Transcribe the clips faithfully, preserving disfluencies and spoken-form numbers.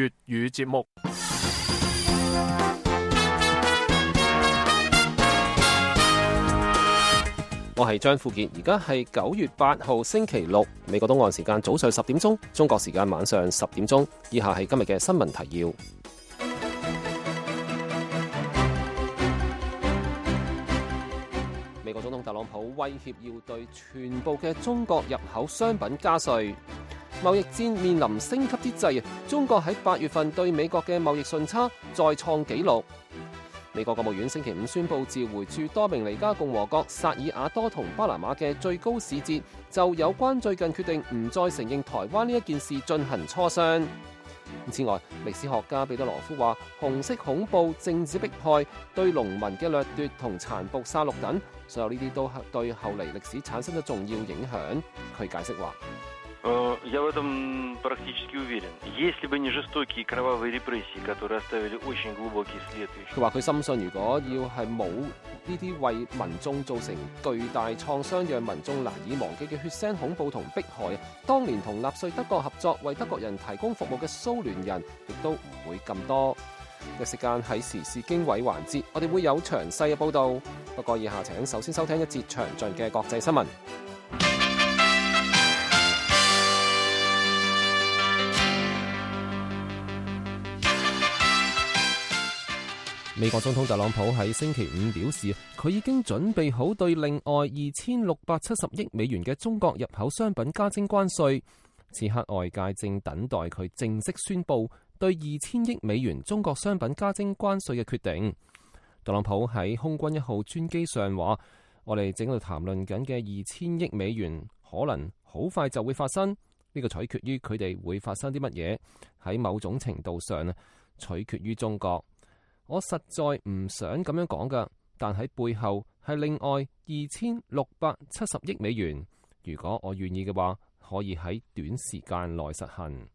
粵語節目。我係張富傑，而家係九月八號星期六，美國東岸時間早上十點鐘，中國時間晚上十點鐘。以下係今日嘅新聞提要。美國總統特朗普威脅要對全部嘅中國入口商品加稅。貿易戰面臨升級之際，中國喺八月份對美國嘅貿易順差再創紀錄。美國國務院星期五宣布召回駐多明尼加共和國、薩爾瓦多同巴拿馬嘅最高使節，就有關最近決定唔再承認台灣呢一件事進行磋商。此外，歷史學家彼得羅夫話，紅色恐怖、政治迫害、對農民嘅掠奪同殘暴殺戮等，所有呢啲都係對後嚟歷史產生咗重要影響。佢解釋話。Я в этом практически уверен. Если бы не жестокие кровавые репрессии, которые оставили очень глубокий след. 佢話佢深信，如果要係冇呢啲為民眾造成巨大創傷、讓民眾難以忘記嘅血腥恐怖同迫害，當年同納粹德國合作為德國人提供服務嘅蘇聯人，亦都唔會咁多。嘅時間喺時事經緯環節，我哋會有詳細嘅報導。不過以下請首先收聽一節詳盡嘅國際新聞。美國總統特朗普喺星期五表示，佢已經準備好對另外二千六百七十億美元嘅中國入口商品加徵關稅。此刻外界正等待佢正式宣布對二千億美元中國商品加徵關稅嘅決定。特朗普喺空軍一號專機上話：我哋正喺度談論緊嘅二千億美元，可能好快就會發生。呢個取決於佢哋會發生啲乜嘢，喺某種程度上啊，取決於中國。我實在唔想咁樣講㗎，但喺背後係另外二千六百七十億美元。如果我願意嘅話，可以喺短時間內實行。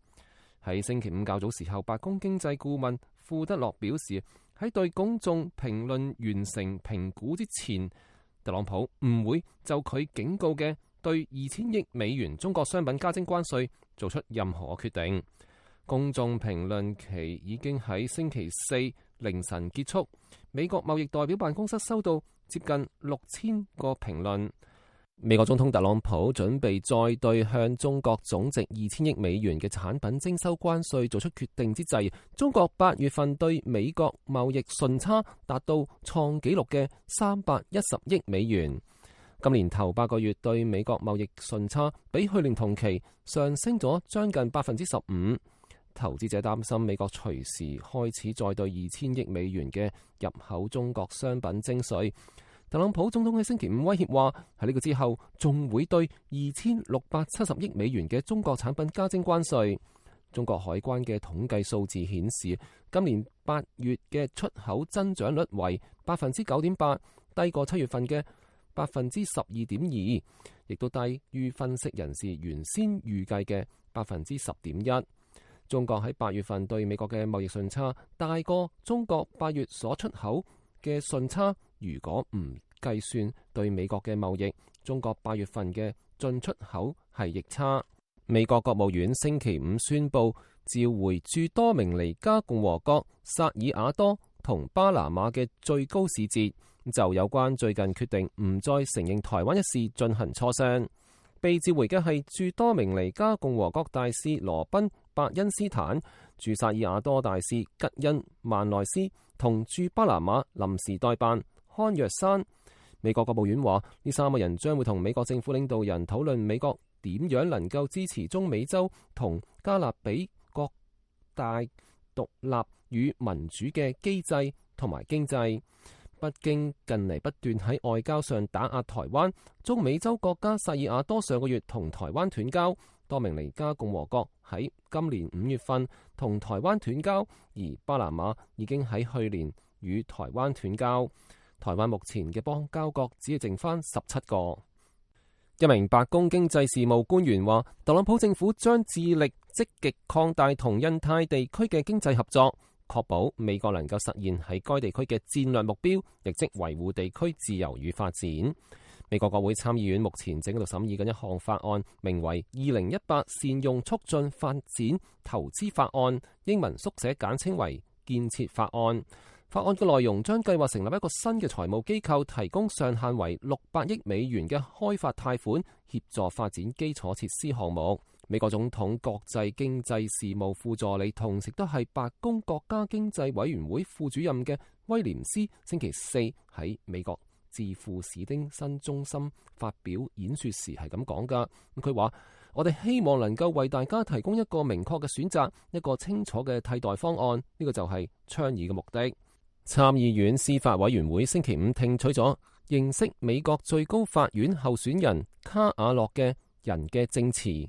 喺星期五較早時候，白宮經濟顧問庫德洛表示，喺對公眾評論完成評估之前，特朗普唔會就佢警告嘅對二千億美元中國商品加徵關稅做出任何決定。公眾評論期已經喺星期四凌晨結束，美國貿易代表辦公室收到接近六千個評論。美國總統特朗普準備再對向中國總值二千億美元嘅產品徵收關稅做出決定之際，中國八月份對美國貿易順差達到創紀錄嘅三百一十億美元。今年頭八個月對美國貿易順差比去年同期上升咗將近百分之十五。投資者擔心美國隨時開始再對二千億美元嘅入口中國商品徵稅。特朗普總統喺星期五威脅話，喺呢個之後仲會對二千六百七十億美元嘅中國產品加徵關稅。中國海關嘅統計數字顯示，今年八月嘅出口增長率為百分之九點八，低過七月份嘅百分之十二點二，亦都低於分析人士原先預計嘅百分之十點一。中國喺八月份對美國嘅貿易順差大過中國八月所出口嘅順差。如果唔計算對美國嘅貿易，中國八月份嘅進出口係逆差。美國國務院星期五宣布召回駐多明尼加共和國、薩爾瓦多同巴拿馬嘅最高使節，就有關最近決定唔再承認台灣一事進行磋商。被召回嘅係駐多明尼加共和國大使羅賓伯恩斯坦、駐薩爾瓦多大使吉恩曼內斯同駐巴拿馬臨時代辦康若山。美國國務院話，呢三個人將會同美國政府領導人討論美國點樣能夠支持中美洲同加勒比各大獨立與民主嘅機制同埋經濟。北京近嚟不斷喺外交上打壓台灣，中美洲國家薩爾瓦多上個月同台灣斷交，多明尼加共和國喺今年五月份同台灣斷交，而巴拿馬已經喺去年與台灣斷交。台灣目前嘅邦交國只係剩翻十七個。一名白宮經濟事務官員話，特朗普政府將致力積極擴大同印太地區嘅經濟合作，確保美國能夠實現喺該地區嘅戰略目標，亦即維護地區自由與發展。美國國會參議院目前正喺度審議緊一項法案，名為《二零一八善用促進發展投資法案》，英文縮寫簡稱為建設法案。法案嘅內容將計劃成立一個新嘅財務機構，提供上限為六百億美元嘅開發貸款，協助發展基礎設施項目。美國總統國際經濟事務副助理，同時都係白宮國家經濟委員會副主任嘅威廉斯，星期四喺美國智庫史丁森中心發表演說時係咁講噶。佢話：我哋希望能夠為大家提供一個明確嘅選擇，一個清楚嘅替代方案。呢個就係倡議嘅目的。參議院司法委員會星期五聽取咗認識美國最高法院候選人卡瓦諾嘅人嘅證詞。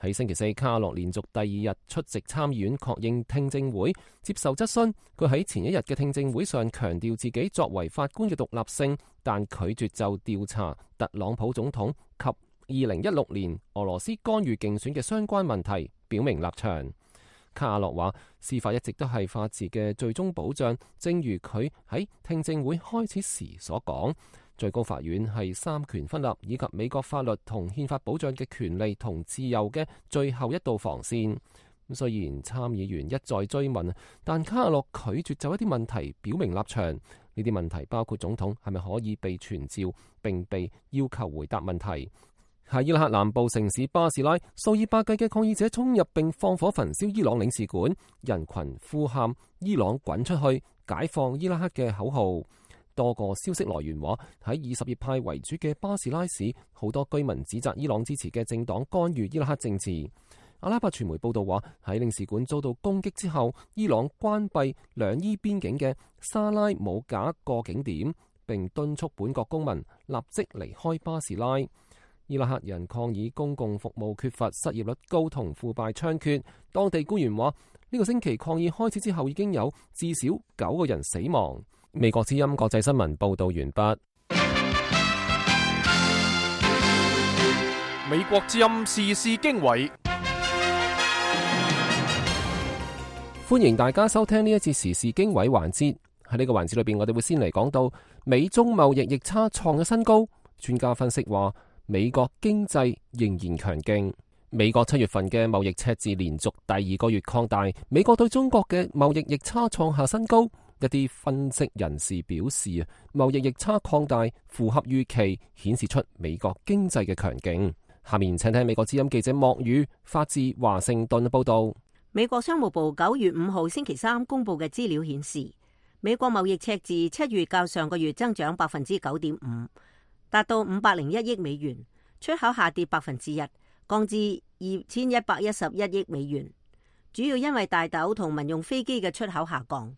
喺星期四，卡瓦諾連續第二日出席參議院確認聽證會，接受質詢。佢喺前一日嘅聽證會上強調自己作為法官嘅獨立性，但拒絕就調查特朗普總統及二零一六年俄羅斯干預競選嘅相關問題表明立場。卡瓦諾話：司法一直都係法治嘅最終保障，正如佢喺聽證會開始時所講。最高法院係三權分立以及美國法律同憲法保障嘅權利同自由嘅最後一道防線。雖然參議員一再追問，但卡瓦諾拒絕就一啲問題表明立場。呢啲問題包括總統係咪可以被傳召並被要求回答問題。喺伊拉克南部城市巴士拉，數以百計嘅抗議者衝入並放火焚燒伊朗領事館，人群呼喊伊朗滾出去、解放伊拉克嘅口號。多個消息來源話，喺以什葉派為主嘅巴士拉市，好多居民指責伊朗支持嘅政黨干預伊拉克政治。阿拉伯傳媒報道話，喺領事館遭到攻擊之後，伊朗關閉兩伊邊境嘅沙拉姆賈過境點，並敦促本國公民立即離開巴士拉。伊拉克人抗議公共服務缺乏、失業率高同腐敗猖獗。當地官員話，呢個星期抗議開始之後，已經有至少九個人死亡。美國之音國際新聞報道完畢。美國之音時事經緯，歡迎大家收聽呢一節時事經緯環節。喺呢個環節裏邊，我哋會先嚟講到美中貿易逆差創咗新高。專家分析話，美國經濟仍然強勁。美國七月份嘅貿易赤字連續第二個月擴大，美國對中國嘅貿易逆差創下新高。一啲分析人士表示啊，貿易逆差擴大符合預期，顯示出美國經濟嘅強勁。下面請聽美國之音記者莫宇發自華盛頓嘅報道。美國商務部九月五號星期三公布嘅資料顯示，美國貿易赤字七月較上個月增長百分之九點五，達到五百零一億美元，出口下跌百分之一，降至二千一百一十一億美元，主要因為大豆同民用飛機嘅出口下降。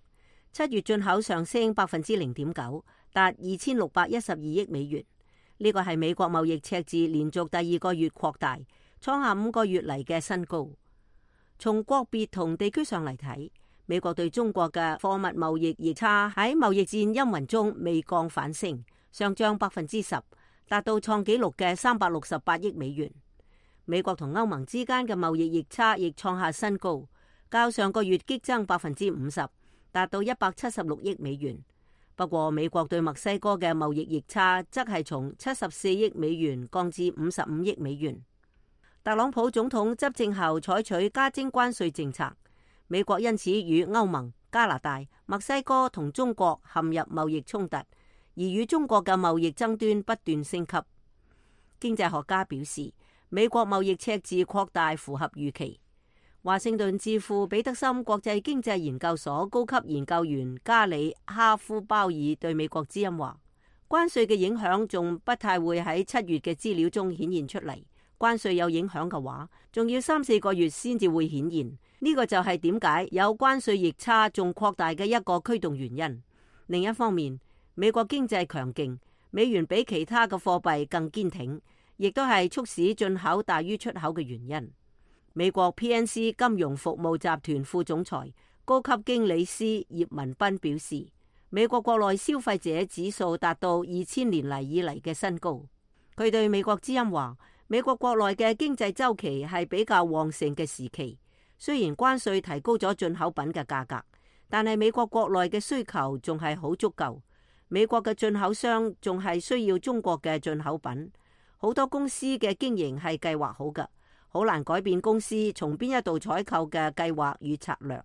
七月進口上升百分之零點九，達二千六百一十二億美元。呢個係美國貿易赤字連續第二個月擴大，創下五個月嚟嘅新高。從國別同地區上嚟睇，美國對中國嘅貨物貿易逆差喺貿易戰陰雲中未降反升，上漲百分之十，達到創紀錄嘅三百六十八億美元。美國同歐盟之間嘅貿易逆差亦創下新高，較上個月激增百分之五十。達到一百七十六億美元。不過，美國對墨西哥嘅貿易逆差則係從七十四億美元降至五十五億美元。特朗普總統執政後採取加徵關稅政策，美國因此與歐盟、加拿大、墨西哥同中國陷入貿易衝突，而與中國嘅貿易爭端不斷升級。經濟學家表示，美國貿易赤字擴大符合預期。華盛頓智庫彼得森國際經濟研究所高級研究員加里哈夫鮑爾對美國之音話：關稅嘅影響仲不太會喺七月嘅資料中顯現出嚟。關稅有影響嘅話，仲要三四個月先至會顯現。呢個就係點解有關稅逆差仲擴大嘅一個驅動原因。另一方面，美國經濟強勁，美元比其他嘅貨幣更堅挺，亦都係促使進口大於出口嘅原因。美國 P N C 金融服務集團副總裁、高級經理師葉文斌表示，美國國內消費者指數達到二千年嚟以嚟嘅新高。佢對美國之音話，美國國內嘅經濟週期係比較旺盛嘅時期，雖然關稅提高咗進口品嘅價格，但係美國國內嘅需求仲係好足夠。美國嘅進口商仲係需要中國嘅進口品，好多公司嘅經營係計劃好㗎，好難改變公司從邊一度採購嘅計劃與策略。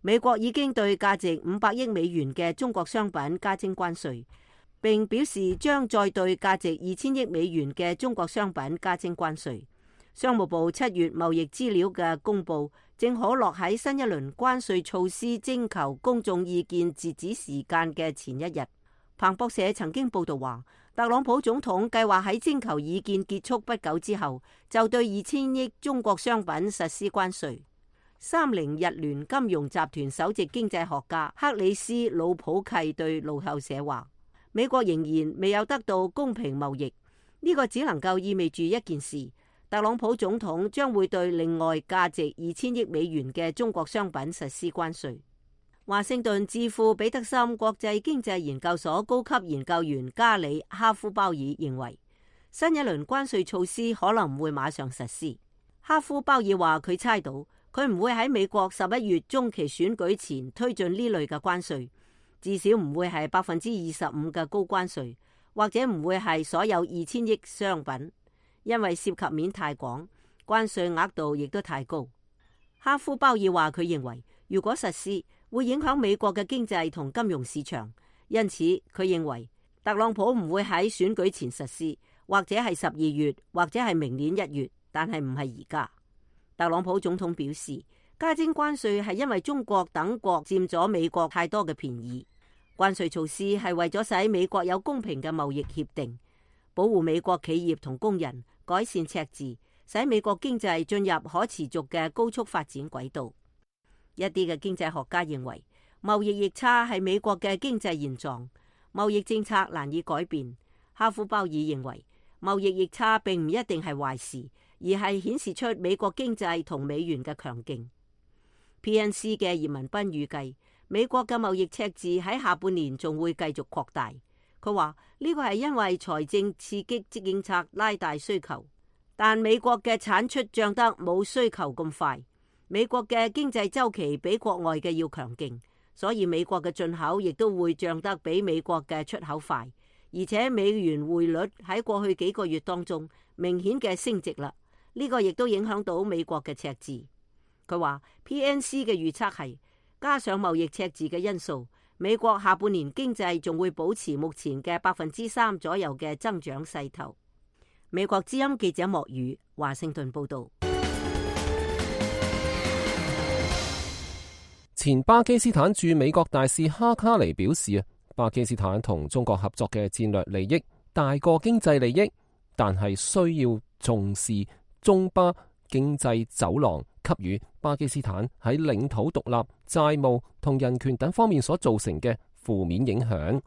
美國已經對價值五百億美元嘅中國商品加徵關稅，並表示將再對價值二千億美元嘅中國商品加徵關稅。商務部七月貿易資料嘅公佈，正可落喺新一輪關稅措施徵求公眾意見截止時間嘅前一日。彭博社曾經報道話，特朗普總統計劃喺徵求意見結束不久之後，就對二千億中國商品實施關稅。三菱日聯金融集團首席經濟學家克里斯魯普契對路透社話，美國仍然未有得到公平貿易，呢個只能夠意味住一件事，特朗普總統將會對另外價值二千億美元嘅中國商品實施關稅。華盛頓智庫彼得森國際經濟研究所高級研究員加里哈夫鮑爾認為，新一輪關稅措施可能唔會馬上實施。哈夫鮑爾話佢猜到，佢唔會喺美國十一月中期選舉前推進呢類嘅關稅，至少唔會係百分之二十五嘅高關稅，或者唔會係所有二千億商品，因為涉及面太廣，關稅額度亦都太高。哈夫鮑爾話佢認為，如果實施，會影響美國嘅經濟同金融市場，因此佢認為特朗普唔會喺選舉前實施，或者係十二月，或者係明年一月，但係唔係而家。特朗普總統表示，加徵關稅係因為中國等國佔咗美國太多嘅便宜。關稅措施係為咗使美國有公平嘅貿易協定，保護美國企業同工人，改善赤字，使美國經濟進入可持續嘅高速發展軌道。一啲嘅經濟學家認為，貿易逆差係美國嘅經濟現狀，貿易政策難以改變。哈夫鮑爾認為，貿易逆差並唔一定係壞事，而係顯示出美國經濟同美元嘅強勁。P N C 嘅葉文斌預計，美國嘅貿易赤字喺下半年仲會繼續擴大。佢話呢個係因為財政刺激政策拉大需求，但美國嘅產出漲得冇需求咁快。美國嘅經濟週期比國外嘅要強勁，所以美國嘅進口亦都會漲得比美國嘅出口快。而且美元匯率喺過去幾個月當中明顯嘅升值啦，呢個亦都影響到美國嘅赤字。佢話 P N C 嘅預測係加上貿易赤字嘅因素，美國下半年經濟仲會保持目前嘅百分之三左右嘅增長勢頭。美國之音記者莫宇華盛頓報道。前巴基斯坦駐美國大使哈卡尼表示啊，巴基斯坦同中國合作嘅戰略利益大過經濟利益，但係需要重視中巴經濟走廊給予巴基斯坦喺領土獨立、債務同人權等方面所造成嘅負面影響。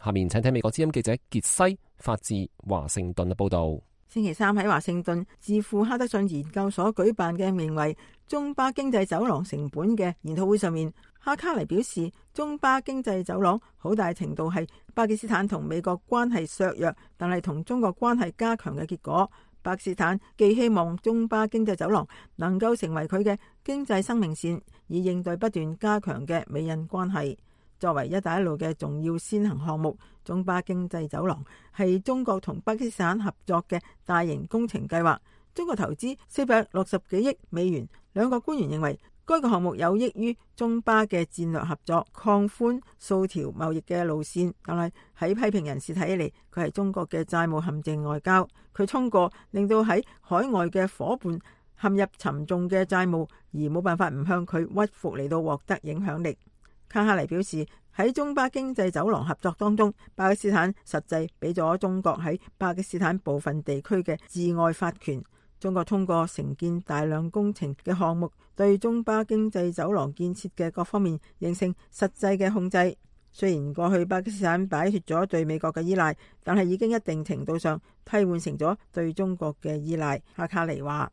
下面請聽美國之音記者傑西發自華盛頓嘅報道。星期三喺華盛頓智庫哈德遜研究所舉辦嘅名為中巴經濟走廊成本嘅研討會上面，哈卡尼表示，中巴經濟走廊好大程度係巴基斯坦同美國關係削弱，但係同中國關係加強嘅結果。巴基斯坦既希望中巴經濟走廊能夠成為佢嘅經濟生命線，以應對不斷加強嘅美印關係。作為一帶一路嘅重要先行項目，中巴經濟走廊係中國同巴基斯坦合作嘅大型工程計劃。中國投資四百六十幾億美元。兩個官員認為，該個項目有益於中巴嘅戰略合作，擴寬數條貿易嘅路線。但係喺批評人士睇起嚟，佢係中國嘅債務陷阱外交。佢通過令到喺海外嘅伙伴陷入沉重嘅債務，而冇辦法唔向佢屈服嚟到獲得影響力。卡哈尼表示，喺中巴經濟走廊合作當中，巴基斯坦實際俾咗中國喺巴基斯坦部分地區嘅治外法權。中國通過承建大量工程嘅項目，對中巴經濟走廊建設嘅各方面形成實際嘅控制。雖然過去巴基斯坦擺脫咗對美國嘅依賴，但係已經一定程度上替換成咗對中國嘅依賴。哈卡尼話，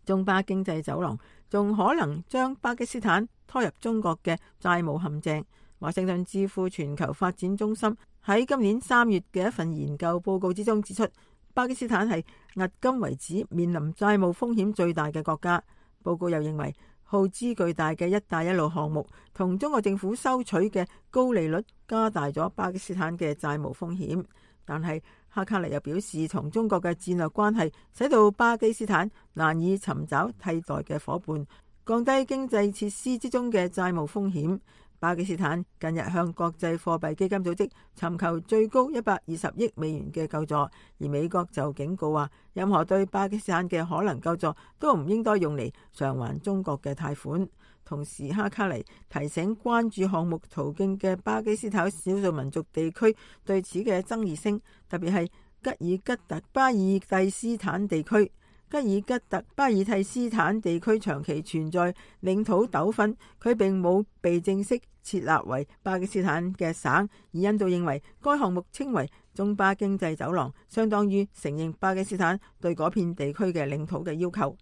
中巴經濟走廊仲可能將巴基斯坦拖入中國嘅債務陷阱。華盛頓智庫全球發展中心喺今年三月嘅一份研究報告之中指出，巴基斯坦係迄今為止面臨債務風險最大嘅國家。報告又認為，耗資巨大嘅一帶一路項目同中國政府收取嘅高利率加大咗巴基斯坦嘅債務風險。但係哈卡尼又表示，同中國嘅戰略關係使到巴基斯坦難以尋找替代嘅伙伴，降低經濟設施之中嘅債務風險。巴基斯坦近日向國際貨幣基金組織尋求最高一百二十億美元嘅救助，而美國就警告話，任何對巴基斯坦嘅可能救助都唔應該用嚟償還中國嘅貸款。同時，哈卡尼提醒關注項目途徑嘅巴基斯坦少數民族地區對此嘅爭議性，特別係吉爾吉特巴爾蒂斯坦地區。吉爾吉特巴爾蒂斯坦地區長期存在領土糾紛，佢並冇被正式設立為巴基斯坦嘅省，而印度認為該項目稱為中巴經濟走廊，相當於承認巴基斯坦對嗰片地區嘅領土嘅要求。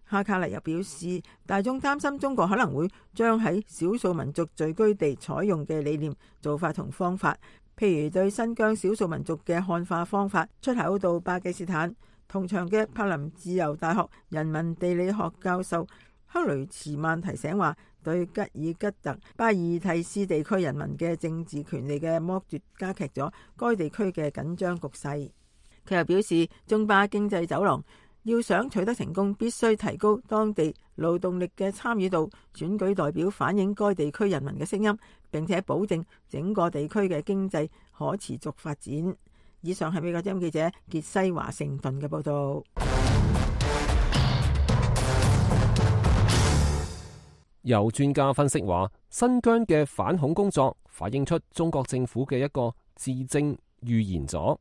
哈卡尼又表示，大眾擔心中國可能會將喺少數民族聚居地採用嘅理念、做法同方法，譬如對新疆少數民族嘅漢化方法出口到巴基斯坦。同場嘅柏林自由大學人民地理學教授克雷茨曼提醒話，對吉爾吉特巴爾蒂斯地區人民嘅政治權利嘅剝奪，加劇咗該地區嘅緊張局勢。佢又表示，中巴經濟走廊要想取得成功，必須提高當地勞動力嘅參與度，選舉代表反映該地區人民嘅聲音，並且保證整個地區嘅經濟可持續發展。以上係美國之音記者傑西華盛頓嘅報道。有專家分析話，新疆嘅反恐工作反映出中國政府嘅一個自證預言咗。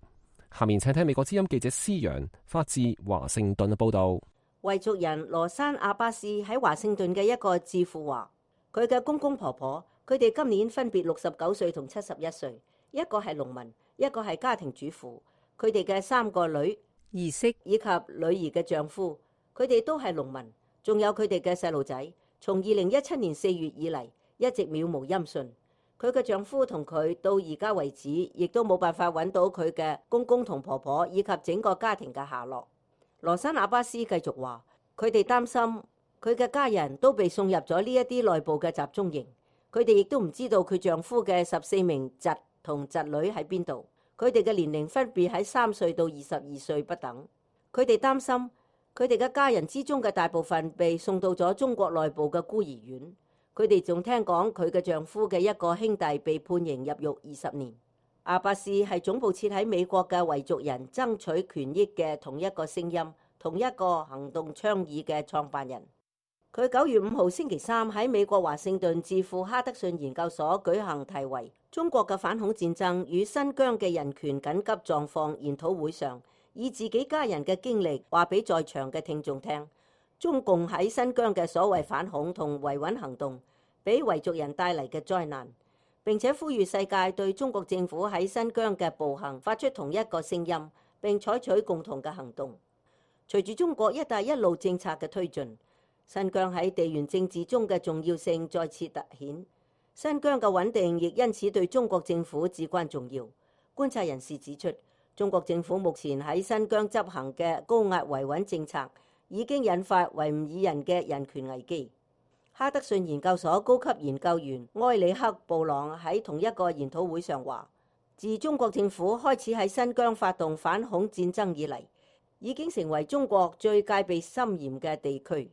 下面請聽美國之音記者施陽發自華盛頓嘅報道。維族人羅山阿巴斯喺華盛頓嘅一個智庫話，佢嘅公公婆婆，佢哋今年分別六十九歲同七十一歲，一個係農民，一個係家庭主婦，佢哋嘅三個女兒媳以及女兒嘅丈夫，佢哋都係農民，仲有佢哋嘅細路仔，從二零一七年四月以嚟一直渺無音訊。佢嘅丈夫同佢到而家為止，亦都冇辦法揾到佢嘅公公同婆婆以及整個家庭嘅下落。羅山阿巴斯繼續話，佢哋擔心佢嘅家人都被送入咗呢一啲內部嘅集中營，佢哋亦都唔知道佢丈夫嘅十四名侄同侄女喺邊度，佢哋嘅年齡分別喺三歲到二十二歲不等。佢哋擔心佢哋嘅家人之中嘅大部分被送到咗中國內部嘅孤兒院。佢哋仲聽講佢嘅丈夫嘅一個兄弟被判刑入獄二十年。阿巴斯係總部設喺美國嘅維族人爭取權益嘅同一個聲音、同一個行動倡議嘅創辦人。佢九月五號星期三喺美國華盛頓智庫哈德遜研究所舉行題為《中國嘅反恐戰爭與新疆嘅人權緊急狀況》研討會上，以自己家人嘅經歷話俾在場嘅聽眾聽，中共喺新疆嘅所謂反恐同維穩行動俾維族人帶嚟嘅災難，並且呼籲世界對中國政府喺新疆嘅暴行發出同一個聲音，並採取共同嘅行動。隨住中國一帶一路政策嘅推進，新疆喺地緣政治中嘅重要性再次凸顯，新疆嘅穩定亦因此對中國政府至關重要。觀察人士指出，中國政府目前喺新疆執行嘅高壓維穩政策已經引發維吾爾人嘅人權危機。哈德遜研究所高級研究員埃里克布朗喺同一個研討會上話，自中國政府開始喺新疆發動反恐戰爭以嚟，已經成為中國最戒備森嚴嘅地區。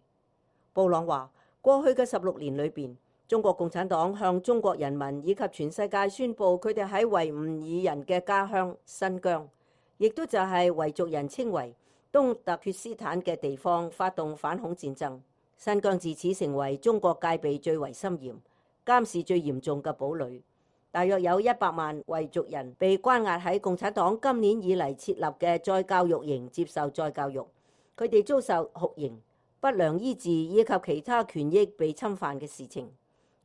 布朗話，過去嘅十六年裏邊，中國共產黨向中國人民以及全世界宣布佢哋喺維吾爾人嘅家鄉新疆，亦都就係維族人稱為東突厥斯坦嘅地方發動反恐戰爭。新疆自此成為中國戒備最為森嚴、監視最嚴重嘅堡壘。大約有一百萬維族人被關押喺共產黨今年以嚟設立嘅再教育營接受再教育，佢哋遭受酷刑、不良醫治以及其他權益被侵犯嘅事情。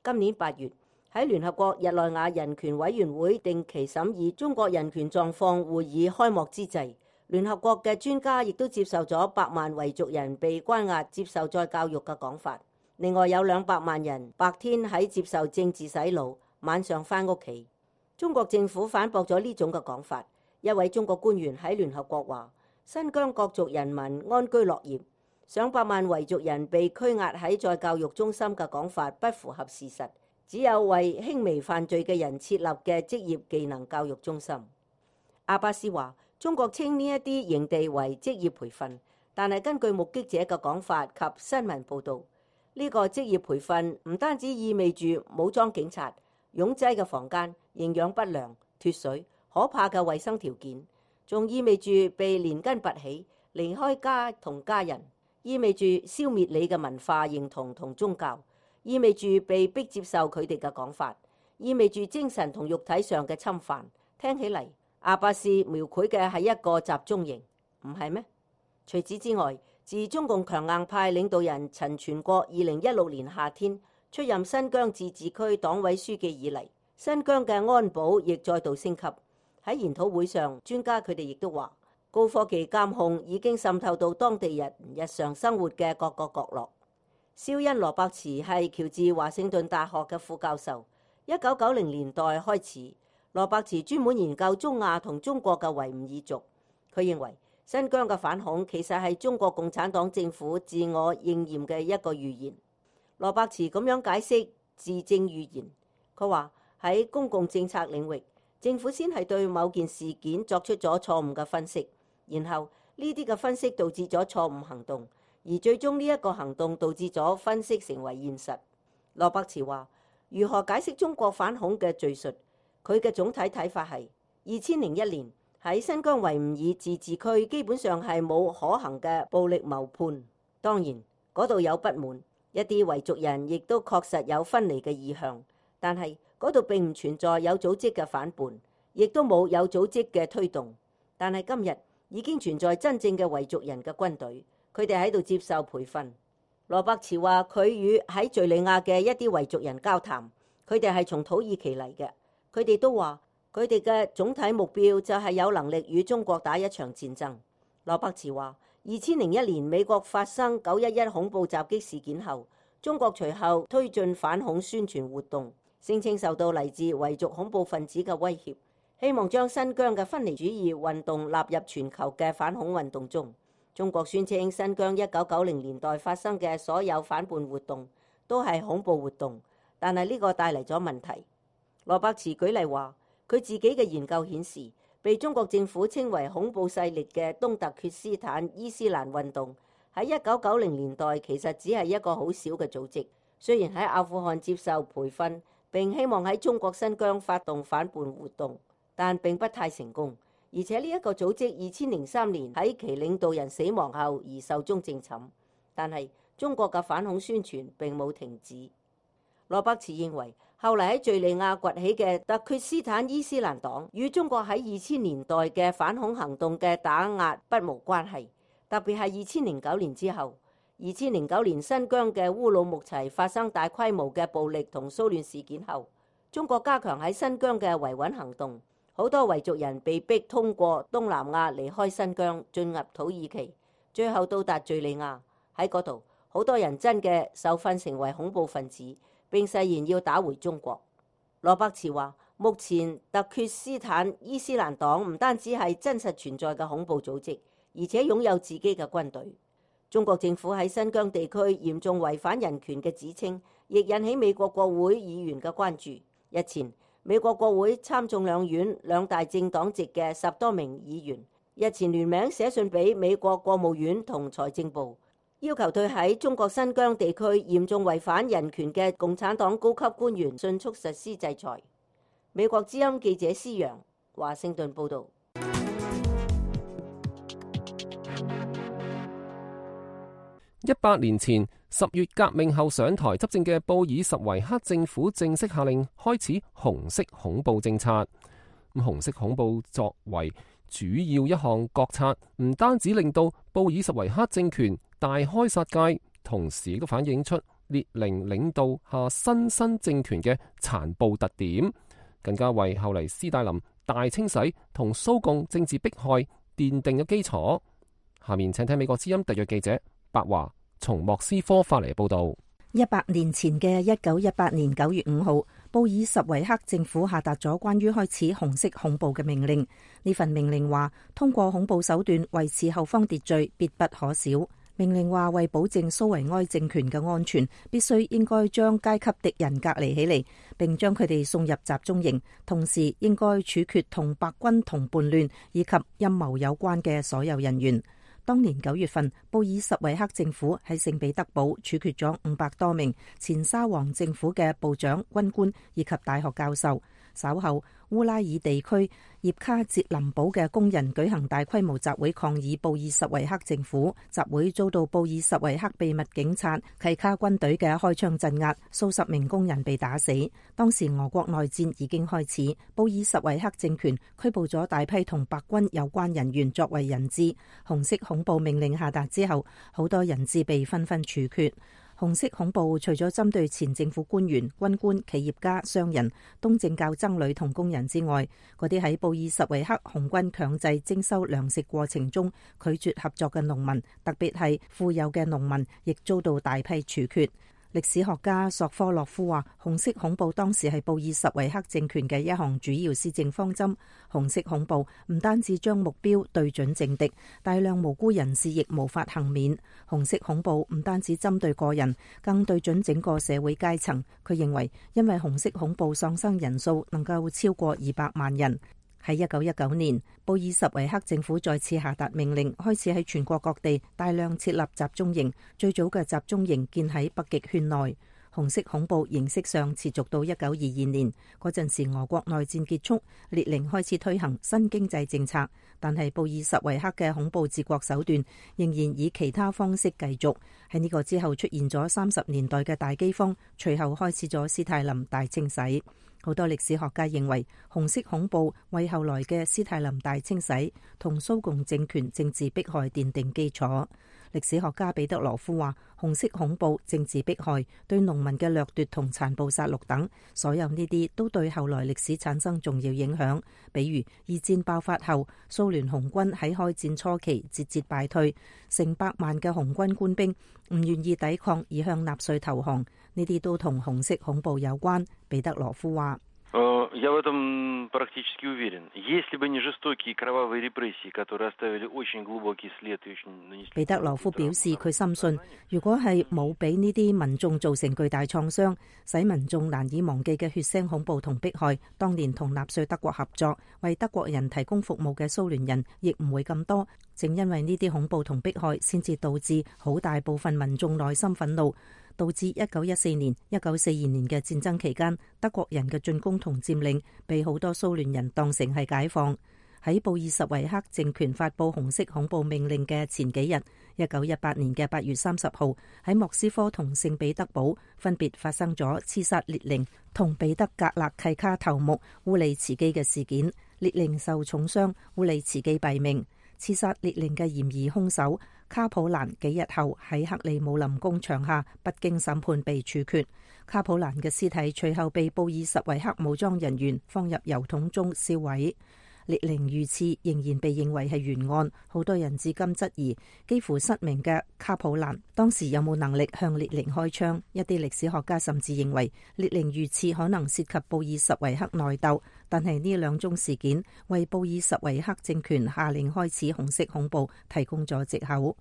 今年八月，喺聯合國日內瓦人權委員會定期審議中國人權狀況會議開幕之際，聯合國嘅專家亦都接受咗百萬維族人被關押接受再教育嘅講法。另外有兩百萬人白天喺接受政治洗腦，晚上返屋企。中國政府反駁咗呢種嘅講法。一位中國官員喺聯合國話，新疆各族人民安居樂業，上百萬維族人被拘押喺再教育中心嘅講法不符合事實，只有為輕微犯罪嘅人設立嘅職業技能教育中心。阿巴斯話：中國稱呢一啲營地為職業培訓，但係根據目擊者嘅講法及新聞報導，呢個職業培訓唔單止意味住武裝警察、擁擠嘅房間、營養不良、脫水、可怕嘅衛生條件，仲意味住被連根拔起、離開家同家人，意味住消滅你嘅文化認同同宗教，意味住被逼接受佢哋嘅講法，意味住精神同肉體上嘅侵犯。聽起嚟，阿巴斯描繪嘅係一個集中營，唔係咩？除此之外，自中共強硬派領導人陳全國二零一六年夏天出任新疆自治區黨委書記以嚟，新疆嘅安保亦再度升級。喺研討會上，專家佢哋亦都話，高科技監控已經滲透到當地人日常生活嘅各個角落。肖恩羅伯茨係喬治華盛頓大學嘅副教授。一九九零年代開始，羅伯茨專門研究中亞同中國嘅維吾爾族。佢認為新疆嘅反恐其實係中國共產黨政府自我應驗嘅一個預言。羅伯茨咁樣解釋自證預言。佢話喺公共政策領域，政府先係對某件事件作出咗錯誤嘅分析，然後呢啲嘅分析導致咗錯誤行動，而最終呢一個行動導致咗分析成為現實。羅伯茨話：如何解釋中國反恐嘅敘述？佢嘅總體睇法係二千零一年喺新疆維吾爾自治區基本上係冇可行嘅暴力謀判。當然嗰度有不滿，一啲維族人亦都確實有分離嘅意向，但係嗰度並唔存在有組織嘅反叛，亦都冇有組織嘅推動。但係今日已經存在真正嘅維族人嘅軍隊，佢哋喺度接受培訓。羅伯茨話佢與喺敘利亞嘅一啲維族人交談，佢哋係從土耳其嚟嘅，佢哋都話佢哋嘅總體目標就係有能力與中國打一場戰爭。羅伯茨話二千零一年美國發生九一一恐怖襲擊事件後，中國隨後推進反恐宣傳活動，聲稱受到嚟自維族恐怖分子嘅威脅，希望將新疆嘅分離主義運動納入全球嘅反恐運動中。中國宣稱新疆一九九零年代發生嘅所有反叛活動都係恐怖活動，但係呢個帶嚟咗問題。羅伯茨舉例話，佢自己嘅研究顯示，被中國政府稱為恐怖勢力嘅東突厥斯坦伊斯蘭運動喺一九九零年代其實只係一個好小嘅組織，雖然喺阿富汗接受培訓並希望喺中國新疆發動反叛活動，但並不太成功。而且呢一個組織二千零三年喺其領導人死亡後而壽終正寢，但係中國嘅反恐宣傳並冇停止。羅伯茨認為，後嚟喺敘利亞崛起嘅突厥斯坦伊斯蘭黨與中國喺二千年代嘅反恐行動嘅打壓不無關係，特別係二千零九年之後。二千零九年新疆嘅烏魯木齊發生大規模嘅暴力同騷亂事件後，中國加強喺新疆嘅維穩行動。好多維族人被逼通過東南亞離開新疆，進入土耳其，最後到達敘利亞。喺嗰度，好多人真嘅受訓成為恐怖分子，並誓言要打回中國。羅伯茨話：目前突厥斯坦伊斯蘭黨唔單止係真實存在嘅恐怖組織，而且擁有自己嘅軍隊。中國政府喺新疆地區嚴重違反人權嘅指稱，亦引起美國國會議員嘅關注。日前，美國國會參眾兩院兩大政黨籍嘅十多名議員日前聯名寫信俾美國國務院同財政部，要求對喺中國新疆地區嚴重違反人權嘅共產黨高級官員迅速實施制裁。美國之音記者施揚，華盛頓報導。一百年前十月革命後上台執政嘅布爾什維克政府正式下令開始紅色恐怖政策。咁紅色恐怖作為主要一項國策，唔單止令到布爾什維克政權大開殺戒，同時都反映出列寧領導下新生政權嘅殘暴特點，更加為後嚟斯大林大清洗同蘇共政治迫害奠定咗基礎。下面請聽美國之音特約記者白華從莫斯科發嚟報道。一百年前嘅一九一八年九月五號，布爾什維克政府下達咗關於開始紅色恐怖嘅命令。呢份命令話，通過恐怖手段維持後方秩序，必不可少。命令話為保證蘇維埃政權嘅安全，必須應該將階級敵人隔離起嚟，並將佢哋送入集中營，同時應該處決同白軍同叛亂以及陰謀有關嘅所有人員。當年九月份，布爾什維克政府喺聖彼得堡處決咗五百多名前沙皇政府嘅部長、軍官以及大學教授。稍後，烏拉爾地區葉卡捷林堡嘅工人舉行大規模集會抗議布爾什維克政府，集會遭到布爾什維克秘密警察契卡軍隊嘅開槍鎮壓，數十名工人被打死。當時俄國內戰已經開始，布爾什維克政權拘捕咗大批同白軍有關人員作為人質。紅色恐怖命令下達之後，好多人質被紛紛處決。紅色恐怖除咗針對前政府官員、軍官、企業家、商人、東正教僧侶同工人之外，嗰啲喺布爾什維克紅軍強制徵收糧食過程中拒絕合作嘅農民，特別係富有嘅農民，亦遭到大批處決。歷史學家索科洛夫話，紅色恐怖當時係布爾什維克政權嘅一項主要施政方針。紅色恐怖唔單止將目標對準政敵，大量無辜人士亦無法幸免。紅色恐怖唔單止針對個人，更對準整個社會階層。佢認為，因為紅色恐怖喪生人數能夠超過二百萬人。喺一九一九年，布爾什維克政府再次下達命令，開始喺全國各地大量設立集中營。最早嘅集中營建喺北極圈內。紅色恐怖形式上持續到一九二二年，嗰陣時俄國內戰結束，列寧開始推行新經濟政策，但係布爾什維克嘅恐怖治國手段仍然以其他方式繼續。喺呢個之後出現咗三十年代嘅大饑荒，隨後開始咗斯泰林大清洗。好多歷史學家認為，紅色恐怖為後來嘅斯泰林大清洗同蘇共政權政治迫害奠定基礎。歷史學家彼得羅夫話，紅色恐怖、政治迫害、對農民嘅掠奪同殘暴殺戮等，所有呢啲都對後來歷史產生重要影響。比如二戰爆發後，蘇聯紅軍喺開戰初期節節敗退，成百萬嘅紅軍官兵唔願意抵抗而向納粹投降，呢啲都同紅色恐怖有關。彼得羅夫話。Я в этом практически уверен. Если бы не жестокие кровавые репрессии, которые оставили очень глубокий след и очень нанесли. 彼得羅夫表示，佢深信，如果係冇俾呢啲民眾造成巨大創傷，使民眾難以忘記嘅血腥恐怖同迫害，當年同納粹德國合作，為德國人提供服務嘅蘇聯人，亦唔會咁多。正因為呢啲恐怖同迫害，先至導致好大部分民眾內心憤怒。導致一九一四年、一九四二年嘅戰爭期間，德國人嘅進攻同佔領被好多蘇聯人當成係解放。喺布爾什維克政權發佈紅色恐怖命令嘅前幾日，一九一八年嘅八月三十號，喺莫斯科同聖彼得堡分別發生咗刺殺列寧同彼得格勒契卡頭目烏利茨基嘅事件。列寧受重傷，烏利茨基斃命。刺殺列寧嘅嫌疑兇手卡普蘭幾日後喺克里姆林宮牆下不經審判被處決。卡普蘭嘅屍體隨後被布爾什維克武裝人員放入油桶中燒毀。列寧遇刺仍然被認為係懸案，好多人至今質疑幾乎失明嘅卡普蘭當時有冇能力向列寧開槍。一啲歷史學家甚至認為列寧遇刺可能涉及布爾什維克內鬥，但係呢兩宗事件為布爾什維克政權下令開始紅色恐怖提供咗藉口。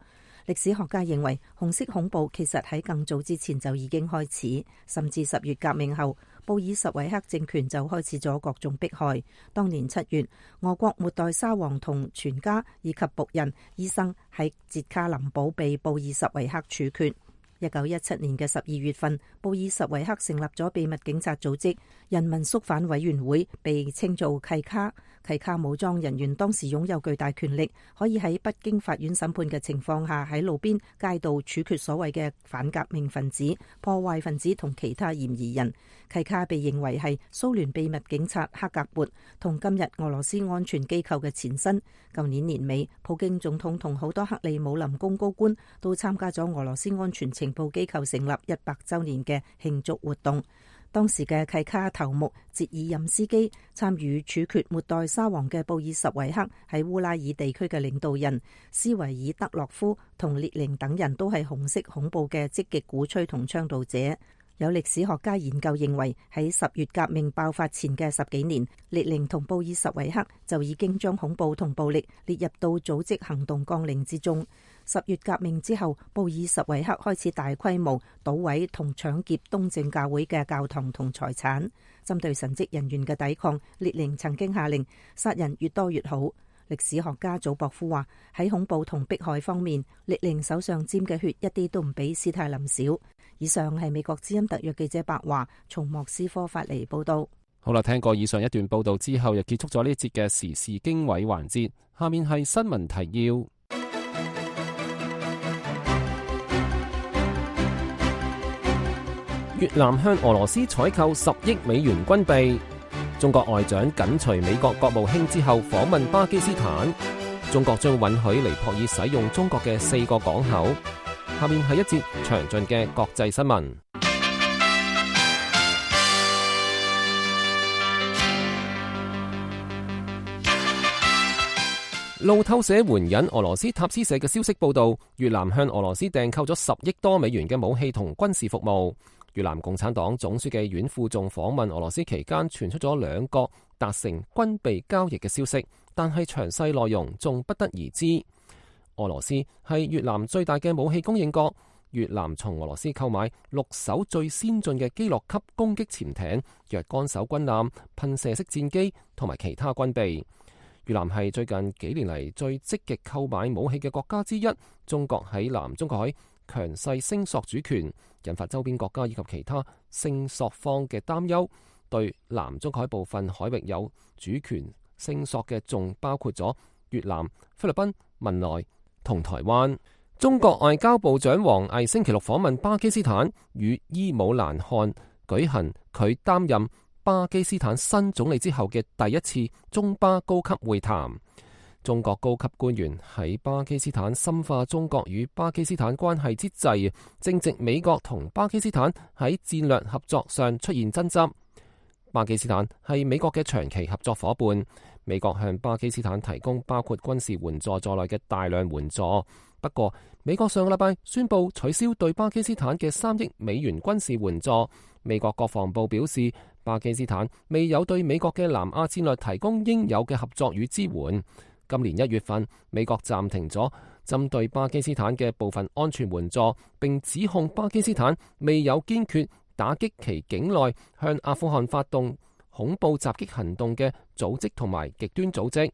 歷史學家認為紅色恐怖其實喺更早之前就已經開始，甚至十月革命後，布爾什維克政權就開始咗各種迫害。當年七月，俄國末代沙皇同全家以及僕人、醫生喺捷卡林堡被布爾什維克處決。一九一七年嘅十二月份，布爾什維克成立咗秘密警察組織人民肅反委員會，被稱做契卡。契卡武裝人員當時擁有巨大權力，可以喺不經法院審判嘅情況下喺路邊街道處決所謂嘅反革命分子、破壞分子同其他嫌疑人。契卡被認為係蘇聯秘密警察克格勃同今日俄羅斯安全機構嘅前身。舊年年尾，普京總統同好多克里姆林宮高官都參加咗俄羅斯安全情報機構成立一百週年嘅慶祝活動。當時嘅契卡頭目捷爾任斯基參與處決末代沙皇嘅布爾什維克喺烏拉爾地區嘅領導人斯維爾德洛夫同列寧等人都係紅色恐怖嘅積極鼓吹同倡導者。有歷史學家研究認為，喺十月革命爆發前嘅十幾年，列寧同布爾什維克就已經將恐怖同暴力列入到組織行動綱領之中。十月革命之後，布爾什維克開始大規模搗毀同搶劫東正教會嘅教堂同財產。針對神職人員嘅抵抗，列寧曾經下令殺人越多越好。歷史學家祖博夫話：喺恐怖同迫害方面，列寧手上沾嘅血一啲都唔比斯泰林少。以上係美國之音特約記者白華從莫斯科發嚟報道。好啦，聽過以上一段報道之後，又結束咗呢一節嘅時事經緯環節。下面係新聞提要。越南向俄羅斯採購十億美元軍備。中國外長緊隨美國國務卿之後訪問巴基斯坦。中國將允許尼泊爾使用中國嘅四個港口。下面係一節詳盡嘅國際新聞。路透社援引俄羅斯塔斯社嘅消息報道，越南向俄羅斯訂購咗十億多美元嘅武器同軍事服務。越南共產黨總書記阮富仲訪問俄羅斯期間，傳出咗兩國達成軍備交易嘅消息，但係詳細內容仲不得而知。俄羅斯係越南最大嘅武器供應國，越南從俄羅斯購買六艘最先進嘅基洛級攻擊潛艇、若干艘軍艦、噴射式戰機同埋其他軍備。越南係最近幾年嚟最積極購買武器嘅國家之一。中國喺南中國海強勢聲索主權，引發周邊國家以及其他聲索方嘅擔憂。對南中國海部分海域有主權聲索嘅，仲包括咗越南、菲律賓、文萊同台灣。中國外交部長王毅星期六訪問巴基斯坦，與伊姆蘭汗舉行佢擔任巴基斯坦新總理之後嘅第一次中巴高級會談。中國高級官員喺巴基斯坦深化中國與巴基斯坦關係之際，正值美國同巴基斯坦喺戰略合作上出現爭執。巴基斯坦係美國嘅長期合作伙伴，美國向巴基斯坦提供包括軍事援助在內嘅大量援助。不過，美國上個禮拜宣布取消對巴基斯坦嘅三億美元軍事援助。美國國防部表示，巴基斯坦未有對美國嘅南亞戰略提供應有嘅合作與支援。今年一月份，美國暫停咗針對巴基斯坦嘅部分安全援助，並指控巴基斯坦未有堅決打擊其境內向阿富汗發動恐怖襲擊行動嘅組織同埋極端組織。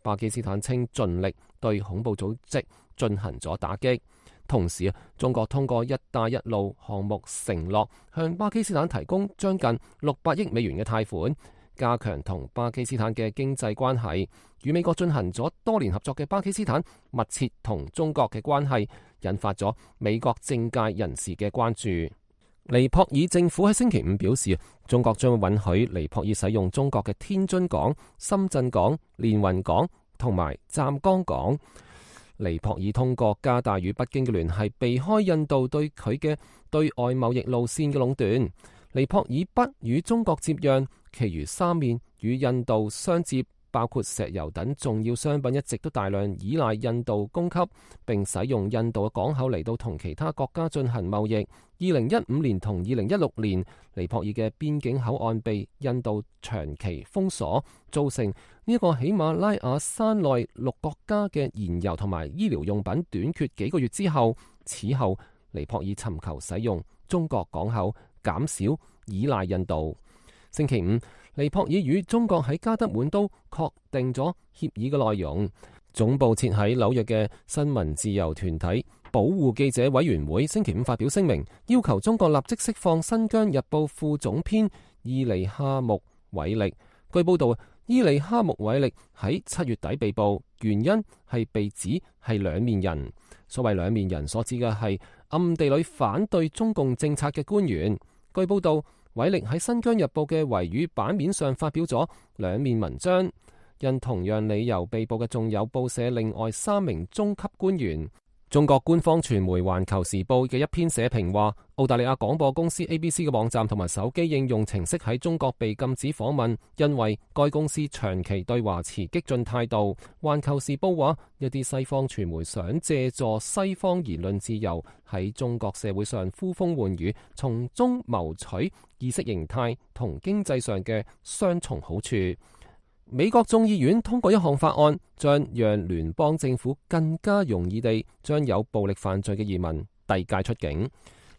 巴基斯坦稱盡力對恐怖組織進行咗打擊。同時，中國通過一帶一路項目承諾向巴基斯坦提供將近六百億美元嘅貸款，加強同巴基斯坦嘅經濟關係。與美國進行咗多年合作嘅巴基斯坦密切同中國嘅關係，引發咗美國政界人士嘅關注。尼泊爾政府喺星期五表示，中國將允許尼泊爾使用中國嘅天津港、深圳港、連雲港同埋湛江港。尼泊爾通過加大與北京嘅聯繫，避開印度對佢嘅對外貿易路線嘅壟斷。尼泊爾北與中國接壤，其餘三面與印度相接，包括石油等重要商品一直都大量依賴印度供給，並使用印度嘅港口嚟到同其他國家進行貿易。二零一五年同二零一六年，尼泊爾嘅邊境口岸被印度長期封鎖，造成呢一個喜馬拉雅山內六國家嘅燃油同埋醫療用品短缺幾個月之後，此後尼泊爾尋求使用中國港口，減少依賴印度。星期五，尼泊爾與中國喺加德滿都確定咗協議嘅內容。總部設喺紐約嘅新聞自由團體保護記者委員會星期五發表聲明，要求中國立即釋放新疆日報副總編伊利哈木韋力。據報道，伊利哈木韋力喺七月底被捕，原因係被指係兩面人。所謂兩面人所指嘅係暗地裏反對中共政策嘅官員。據報道，韋力喺新疆日報嘅維語版面上發表咗兩面文章。因同樣理由被捕嘅仲有報社另外三名中級官員。中國官方傳媒環球時報嘅一篇社評話，澳大利亞廣播公司 A B C 嘅網站同埋手機應用程式喺中國被禁止訪問，因為該公司長期對華持激進態度。環球時報話，一啲西方傳媒想借助西方言論自由喺中國社會上呼風喚雨，從中謀取意識形態同經濟上嘅雙重好處。美國眾議院通過一項法案，將讓聯邦政府更加容易地將有暴力犯罪嘅移民遞解出境。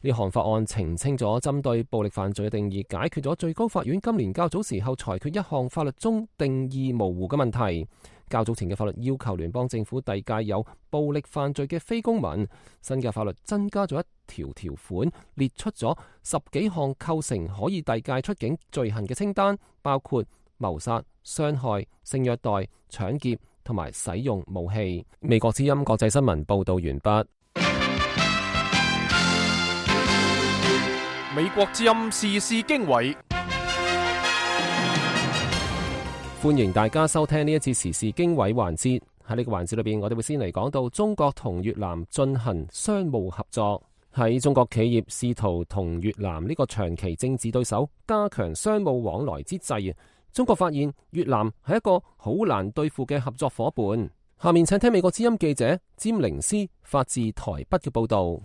呢項法案澄清咗針對暴力犯罪嘅定義，解決咗最高法院今年較早時候裁決一項法律中定義模糊嘅問題。較早前嘅法律要求聯邦政府遞解有暴力犯罪嘅非公民，新嘅法律增加咗一條條款，列出咗十幾項構成可以遞解出境罪行嘅清單，包括謀殺、傷害、性虐待、搶劫同埋使用武器。美國之音國際新聞報道完畢。美國之音時事經緯，歡迎大家收聽呢一次時事經緯環節。喺呢個環節裏邊，我哋會先嚟講到中國同越南進行商務合作。喺中國企業試圖同越南呢個長期政治對手加強商務往來之際，中國發現越南係一個好難對付嘅合作夥伴。下面請聽美國之音記者詹玲斯發自台北嘅報道。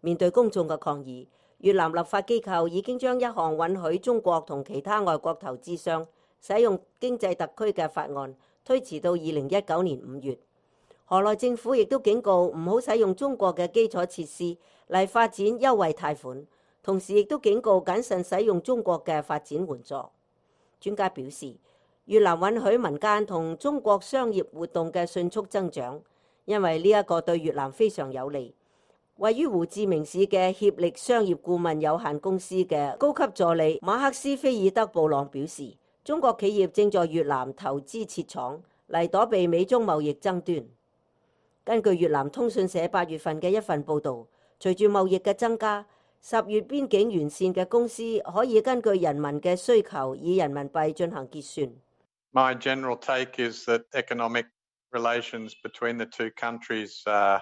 面對公眾嘅抗議，越南立法機構已經將一項允許中國同其他外國投資商使用經濟特區嘅法案推遲到二零一九年五月。河內政府亦都警告唔好使用中國嘅基礎設施嚟發展優惠貸款，同時亦都警告謹慎使用中國嘅發展援助。專家表示，越南允許民間同中國商業活動嘅迅速增長，因為呢一個對越南非常有利。位於胡志明市嘅協力商業顧問有限公司嘅高級助理馬克斯菲爾德布朗表示，中國企業正在越南投資設廠嚟躲避美中貿易爭端。根據越南通訊社八月份嘅一份報導，隨住貿易嘅增加，十月邊境完善嘅公司可以根據人民嘅需求以人民幣進行結算。My general take is that economic relations between the two countries uh,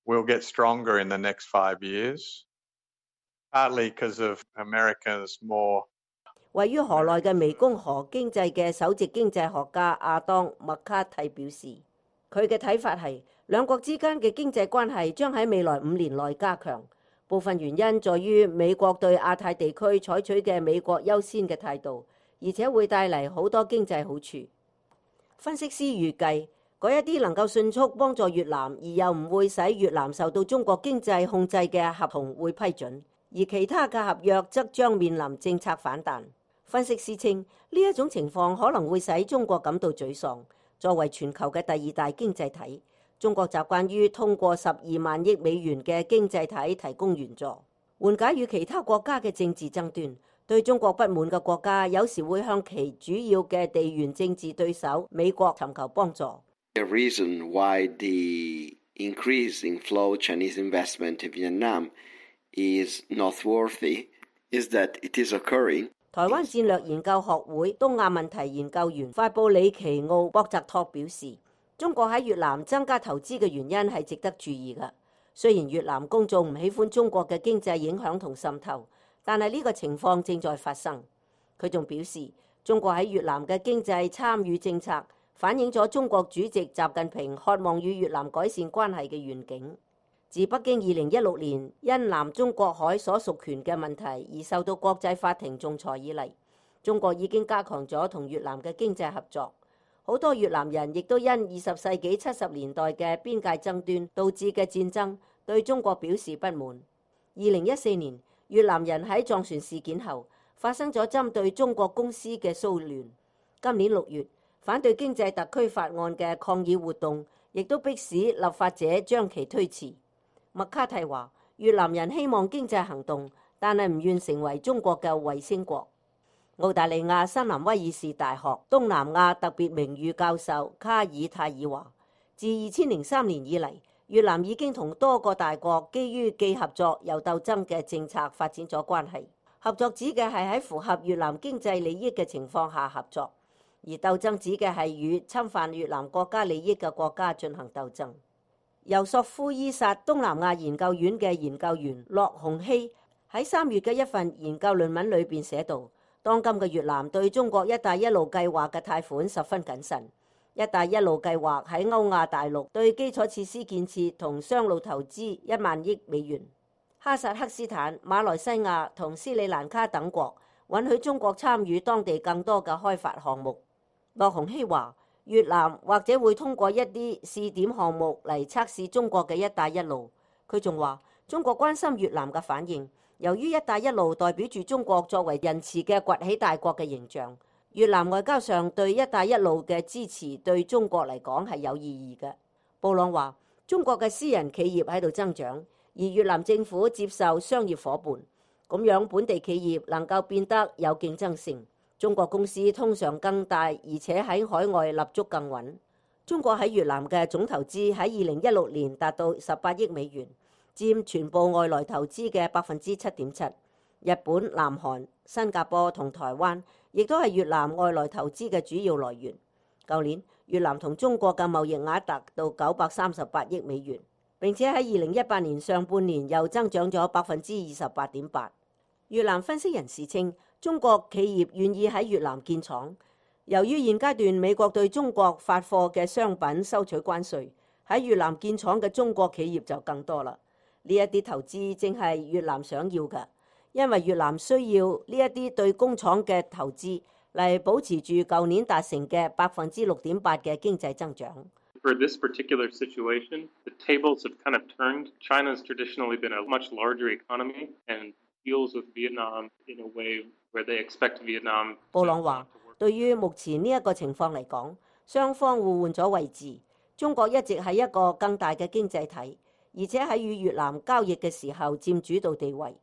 will get stronger in the next five years, partly because of America's more 位於河內嘅湄公河經濟嘅首席經濟學家亞當麥卡蒂表示，佢嘅睇法係兩國之間嘅經濟關係將喺未來五年內加強。部分原因在於美國對亞太地區採取嘅美國優先嘅態度，而且會帶嚟好多經濟好處。分析師預計，嗰一啲能夠迅速幫助越南而又唔會使越南受到中國經濟控制嘅合同會批准，而其他嘅合約則將面臨政策反彈。分析師稱，呢一種情況可能會使中國感到沮喪。作為全球嘅第二大經濟體，中國習慣於通過十二萬億美元嘅經濟體提供援助，緩解與其他國家嘅政治爭端。對中國不滿嘅國家有時會向其主要嘅地緣政治對手美國尋求幫助。The reason why the increase in flow Chinese investment in Vietnam is noteworthy is that it is occurring. 台灣戰略研究學會東亞問題研究員法布里奇奧博澤托表示，中國喺越南增加投資嘅原因係值得注意嘅。雖然越南公眾唔喜歡中國嘅經濟影響同滲透，但係呢個情況正在發生。佢仲表示，中國喺越南嘅經濟參與政策反映咗中國主席習近平渴望與越南改善關係嘅願景。自北京二零一六年因南中國海所屬權嘅問題而受到國際法庭仲裁以嚟，中國已經加強咗同越南嘅經濟合作。好多越南人亦都因二十世紀七十年代嘅邊界爭端導致嘅戰爭對中國表示不滿。二零一四年，越南人喺撞船事件後發生咗針對中國公司嘅騷亂。今年六月，反對經濟特區法案嘅抗議活動亦都迫使立法者將其推遲。麥卡蒂話，越南人希望經濟行動，但係唔願成為中國嘅衛星國。澳大利亞新南威爾士大學東南亞特別名譽教授卡爾泰爾話，自二千零三年以嚟，越南已經同多個大國基於既合作又鬥爭嘅政策發展咗關係。合作指嘅係喺符合越南經濟利益嘅情況下合作，而鬥爭指嘅係與侵犯越南國家利益嘅國家進行鬥爭。由索夫伊薩東南亞研究院嘅研究員駱洪希喺三月嘅一份研究論文裏邊寫道，當今嘅越南對中國一帶一路計劃嘅貸款十分謹慎。一帶一路計劃喺歐亞大陸對基礎設施建設同商路投資一萬億美元。哈薩克斯坦、馬來西亞同斯里蘭卡等國允許中國參與當地更多嘅開發項目。駱鴻禧話：越南或者會通過一啲試點項目嚟測試中國嘅一帶一路。佢仲話：中國關心越南嘅反應，由於一帶一路代表住中國作為仁慈嘅崛起大國嘅形象，越南外交上對一帶一路嘅支持對中國嚟講係有意義嘅。布朗話：中國嘅私人企業喺度增長，而越南政府接受商業夥伴，咁樣本地企業能夠變得有競爭性。中國公司通常更大，而且喺海外立足更穩。中國喺越南嘅總投資喺二零一六年達到十八億美元，佔全部外來投資嘅百分之七點七。日本、南韓、新加坡同台灣亦都係越南外來投資嘅主要來源。舊年越南同中國嘅貿易額達到九百三十八億美元，並且喺二零一八年上半年又增長咗百分之二十八點八。越南分析人士稱，中國企業願意喺越南建廠，由於現階段美國對中國發貨嘅商品收取關稅，喺越南建廠嘅中國企業就更多啦。呢一啲投資正係越南想要嘅，因為越南需要呢一啲對工廠嘅投資嚟保持住舊年達成嘅百分之六點八嘅經濟增長。For this particular situation, the tables have kind of turned. China's traditionally been a much larger economy and deals with Vietnam in a way where they expect Vietnam. 布朗話：對於目前呢一個情況嚟講，雙方互換咗位置。中國一直係一個更大嘅經濟體，而且喺與越南交易嘅時候佔主導地位。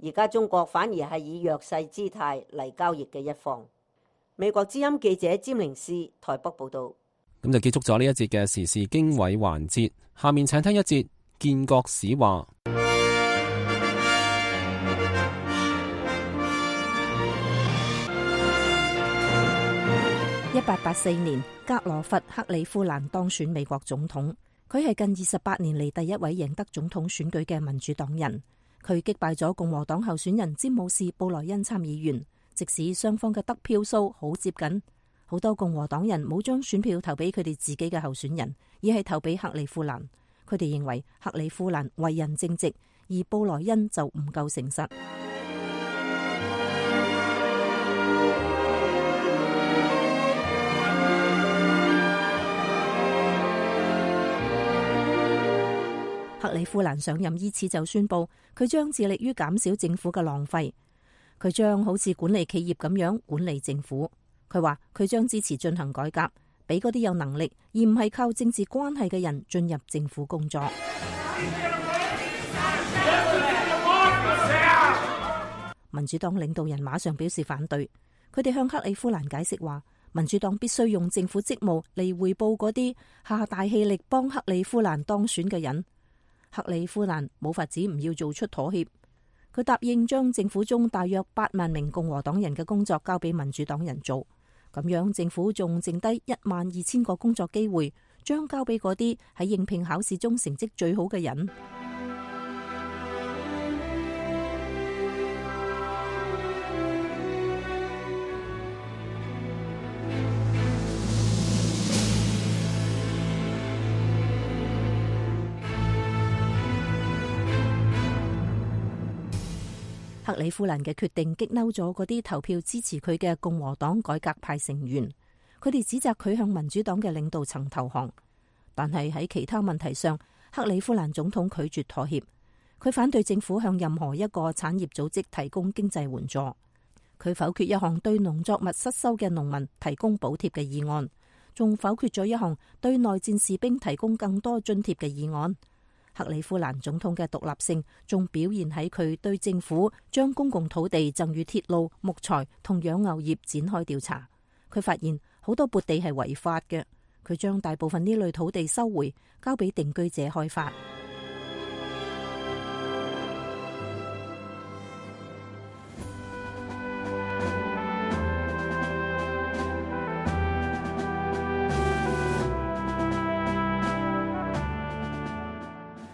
而家中國反而係以弱勢姿態嚟交易嘅一方。美國之音記者詹玲斯台北報導。咁就結束咗呢一節嘅時事經緯環節，下面請聽一節建國史話。一八八四年，格羅佛克里夫蘭當選美國總統。佢係近二十八年嚟第一位贏得總統選舉嘅民主黨人。佢擊敗咗共和黨候選人詹姆士布萊恩參議員，即使雙方嘅得票數好接近，好多共和黨人冇將選票投俾佢哋自己嘅候選人，而係投俾克里夫蘭。佢哋認為克里夫蘭為人正直，而布萊恩就唔夠誠實。克里夫蘭上任依次就宣布，佢將致力於減少政府嘅浪費，佢將好似管理企業咁樣管理政府。佢話佢將支持進行改革，俾嗰啲有能力而唔係靠政治關係嘅人進入政府工作。民主黨領導人馬上表示反對，佢哋向克里夫蘭解釋話，民主黨必須用政府職務嚟回報嗰啲下大氣力幫克里夫蘭當選嘅人。克里夫蘭冇法子唔要做出妥協，佢答應將政府中大約八萬名共和黨人嘅工作交俾民主黨人做，咁樣政府仲剩低一萬二千個工作機會，將交俾嗰啲喺應聘考試中成績最好嘅人。克里夫蘭嘅決定激嬲咗嗰啲投票支持佢嘅共和黨改革派成員，佢哋指責佢向民主黨嘅領導層投降。但係喺其他問題上，克里夫蘭總統拒絕妥協，佢反對政府向任何一個產業組織提供經濟援助，佢否決一項對農作物失收嘅農民提供補貼嘅議案，仲否決咗一項對內戰士兵提供更多津貼嘅議案。克里夫蘭總統嘅獨立性仲表現喺佢對政府將公共土地贈予鐵路、木材同養牛業展開調查。佢發現好多撥地係違法嘅，佢將大部分呢類土地收回，交俾定居者開發。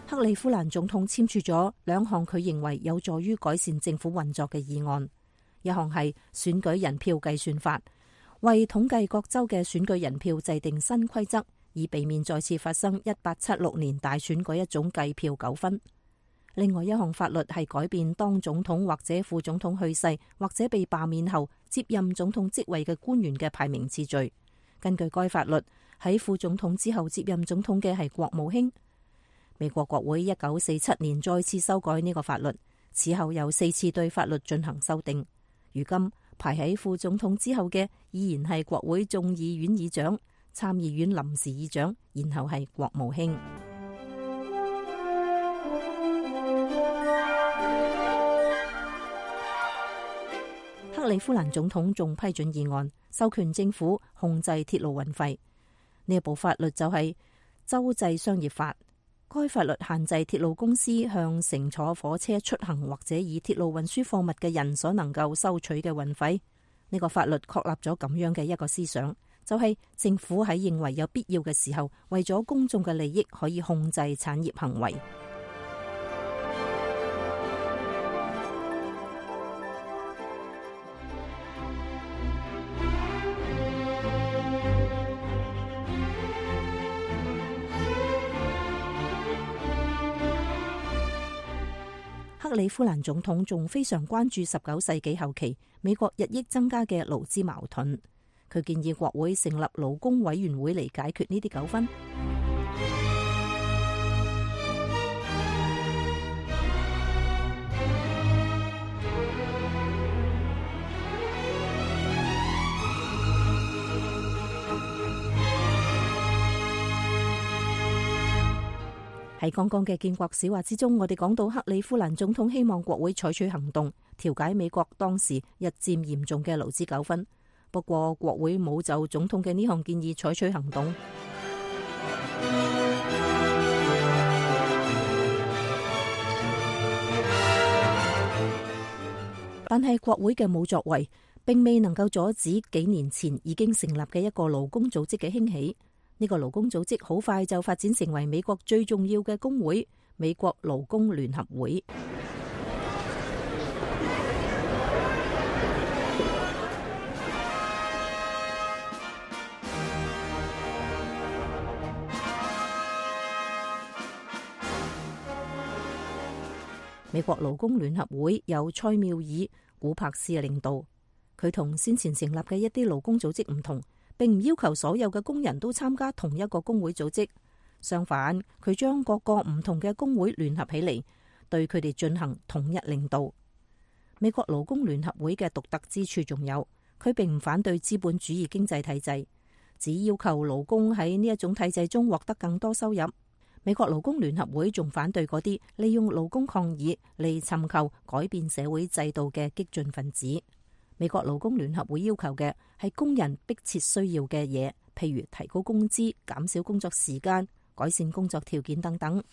克里夫蘭總統簽署咗兩項佢認為有助於改善政府運作嘅議案，一項係選舉人票計算法，為統計各州嘅選舉人票制定新規則，以避免再次發生一八七六年大選嗰一種計票糾紛。另外一項法律係改變當總統或者副總統去世或者被罷免後接任總統職位嘅官員嘅排名次序，根據該法律，喺副總統之後接任總統嘅係國務卿。美國國會一九四七年再次修改呢個法律，此後有四次對法律進行修訂。如今排喺副總統之後嘅依然係國會眾議院議長、參議院臨時議長，然後係國務卿。克里夫蘭總統仲批准議案，授權政府控制鐵路運費。呢一部法律就係州際商業法。該法律限制鐵路公司向乘坐火車出行或者以鐵路運輸貨物嘅人所能夠收取嘅運費。呢個法律確立咗咁樣嘅一個思想，就係政府喺認為有必要嘅時候，為咗公眾嘅利益，可以控制產業行為。克里夫蘭總統仲非常關注十九世紀後期美國日益增加嘅勞資矛盾，佢建議國會成立勞工委員會嚟解決呢啲糾紛。喺剛剛嘅建國史話之中，我哋講到克里夫蘭總統希望國會採取行動，調解美國當時日漸嚴重嘅勞資糾紛。不過國會冇就總統嘅呢項建議採取行動。但係國會嘅冇作為，並未能夠阻止幾年前已經成立嘅一個勞工組織嘅興起。呢個勞工組織好快就發展成為美國最重要嘅工會——美國勞工聯合會。美國勞工聯合會由塞繆爾古柏斯嘅領導，佢同先前成立嘅一啲勞工組織唔同，並唔要求所有嘅工人都參加同一個工會組織，相反，佢將各個唔同嘅工會聯合起嚟，對佢哋進行統一領導。美國勞工聯合會嘅獨特之處仲有，佢並唔反對資本主義經濟體制，只要求勞工喺呢一種體制中獲得更多收入。美國勞工聯合會仲反對嗰啲利用勞工抗議嚟尋求改變社會制度嘅激進分子。美國勞工聯合會要求嘅係工人迫切需要嘅嘢，譬如提高工資、減少工作時間、改善工作條件等等。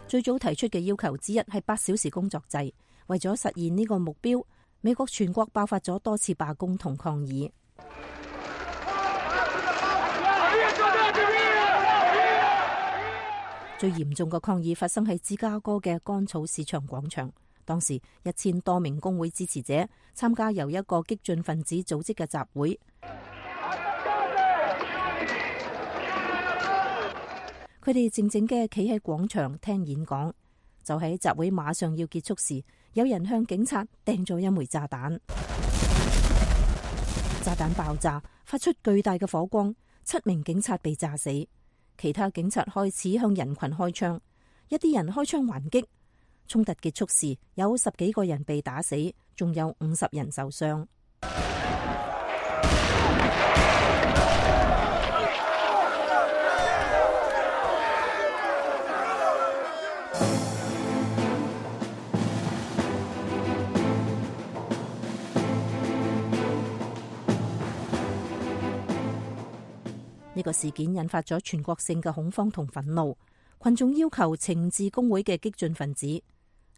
最早提出嘅要求之一係八小時工作制。為咗實現呢個目標，美國全國爆發咗多次罷工同抗議。最嚴重嘅抗議發生喺芝加哥嘅乾草市場廣場，當時一千多名工會支持者參加由一個激進分子組織嘅集會，佢哋靜靜嘅企喺廣場聽演講。就喺集會馬上要結束時，有人向警察掟咗一枚炸彈，炸彈爆炸，發出巨大嘅火光，七名警察被炸死。其他警察開始向人群開槍，一啲人開槍還擊。衝突結束時，有十幾個人被打死，仲有五十人受傷。呢個事件引發咗全國性嘅恐慌同憤怒，群眾要求懲治工會嘅激進分子。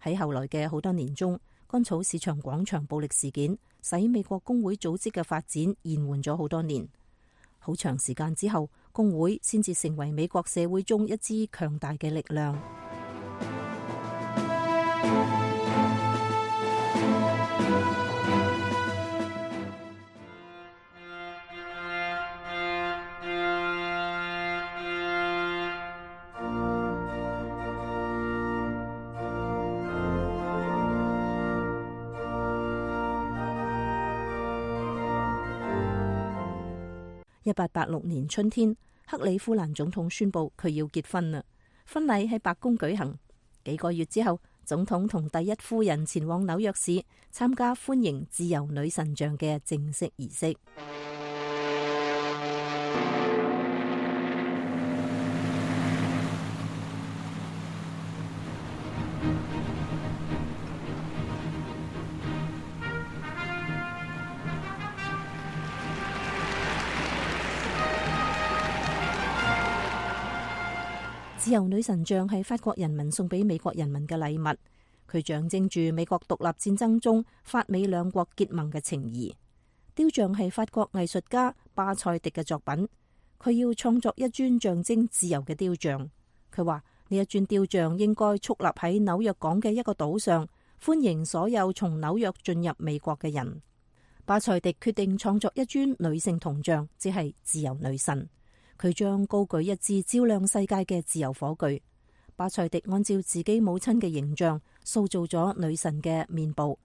喺後來嘅好多年中，乾草市場廣場暴力事件使美國工會組織嘅發展延緩咗好多年。好長時間之後，工會先至成為美國社會中一支強大嘅力量。一八八六年春天，克里夫蘭總統宣布佢要結婚啦。婚禮喺白宮舉行。幾個月之後，總統同第一夫人前往紐約市參加歡迎自由女神像嘅正式儀式。自由女神像係法國人民送俾美國人民嘅禮物，佢象徵住美國獨立戰爭中法美兩國結盟嘅情誼。雕像係法國藝術家巴塞迪嘅作品，佢要創作一尊象徵自由嘅雕像。佢話呢一尊雕像應該矗立喺紐約港嘅一個島上，歡迎所有從紐約進入美國嘅人。巴塞迪決定創作一尊女性銅像，即係自由女神。佢將高舉一支照亮世界嘅自由火炬。巴塞迪按照自己母親嘅形象塑造咗女神嘅面部。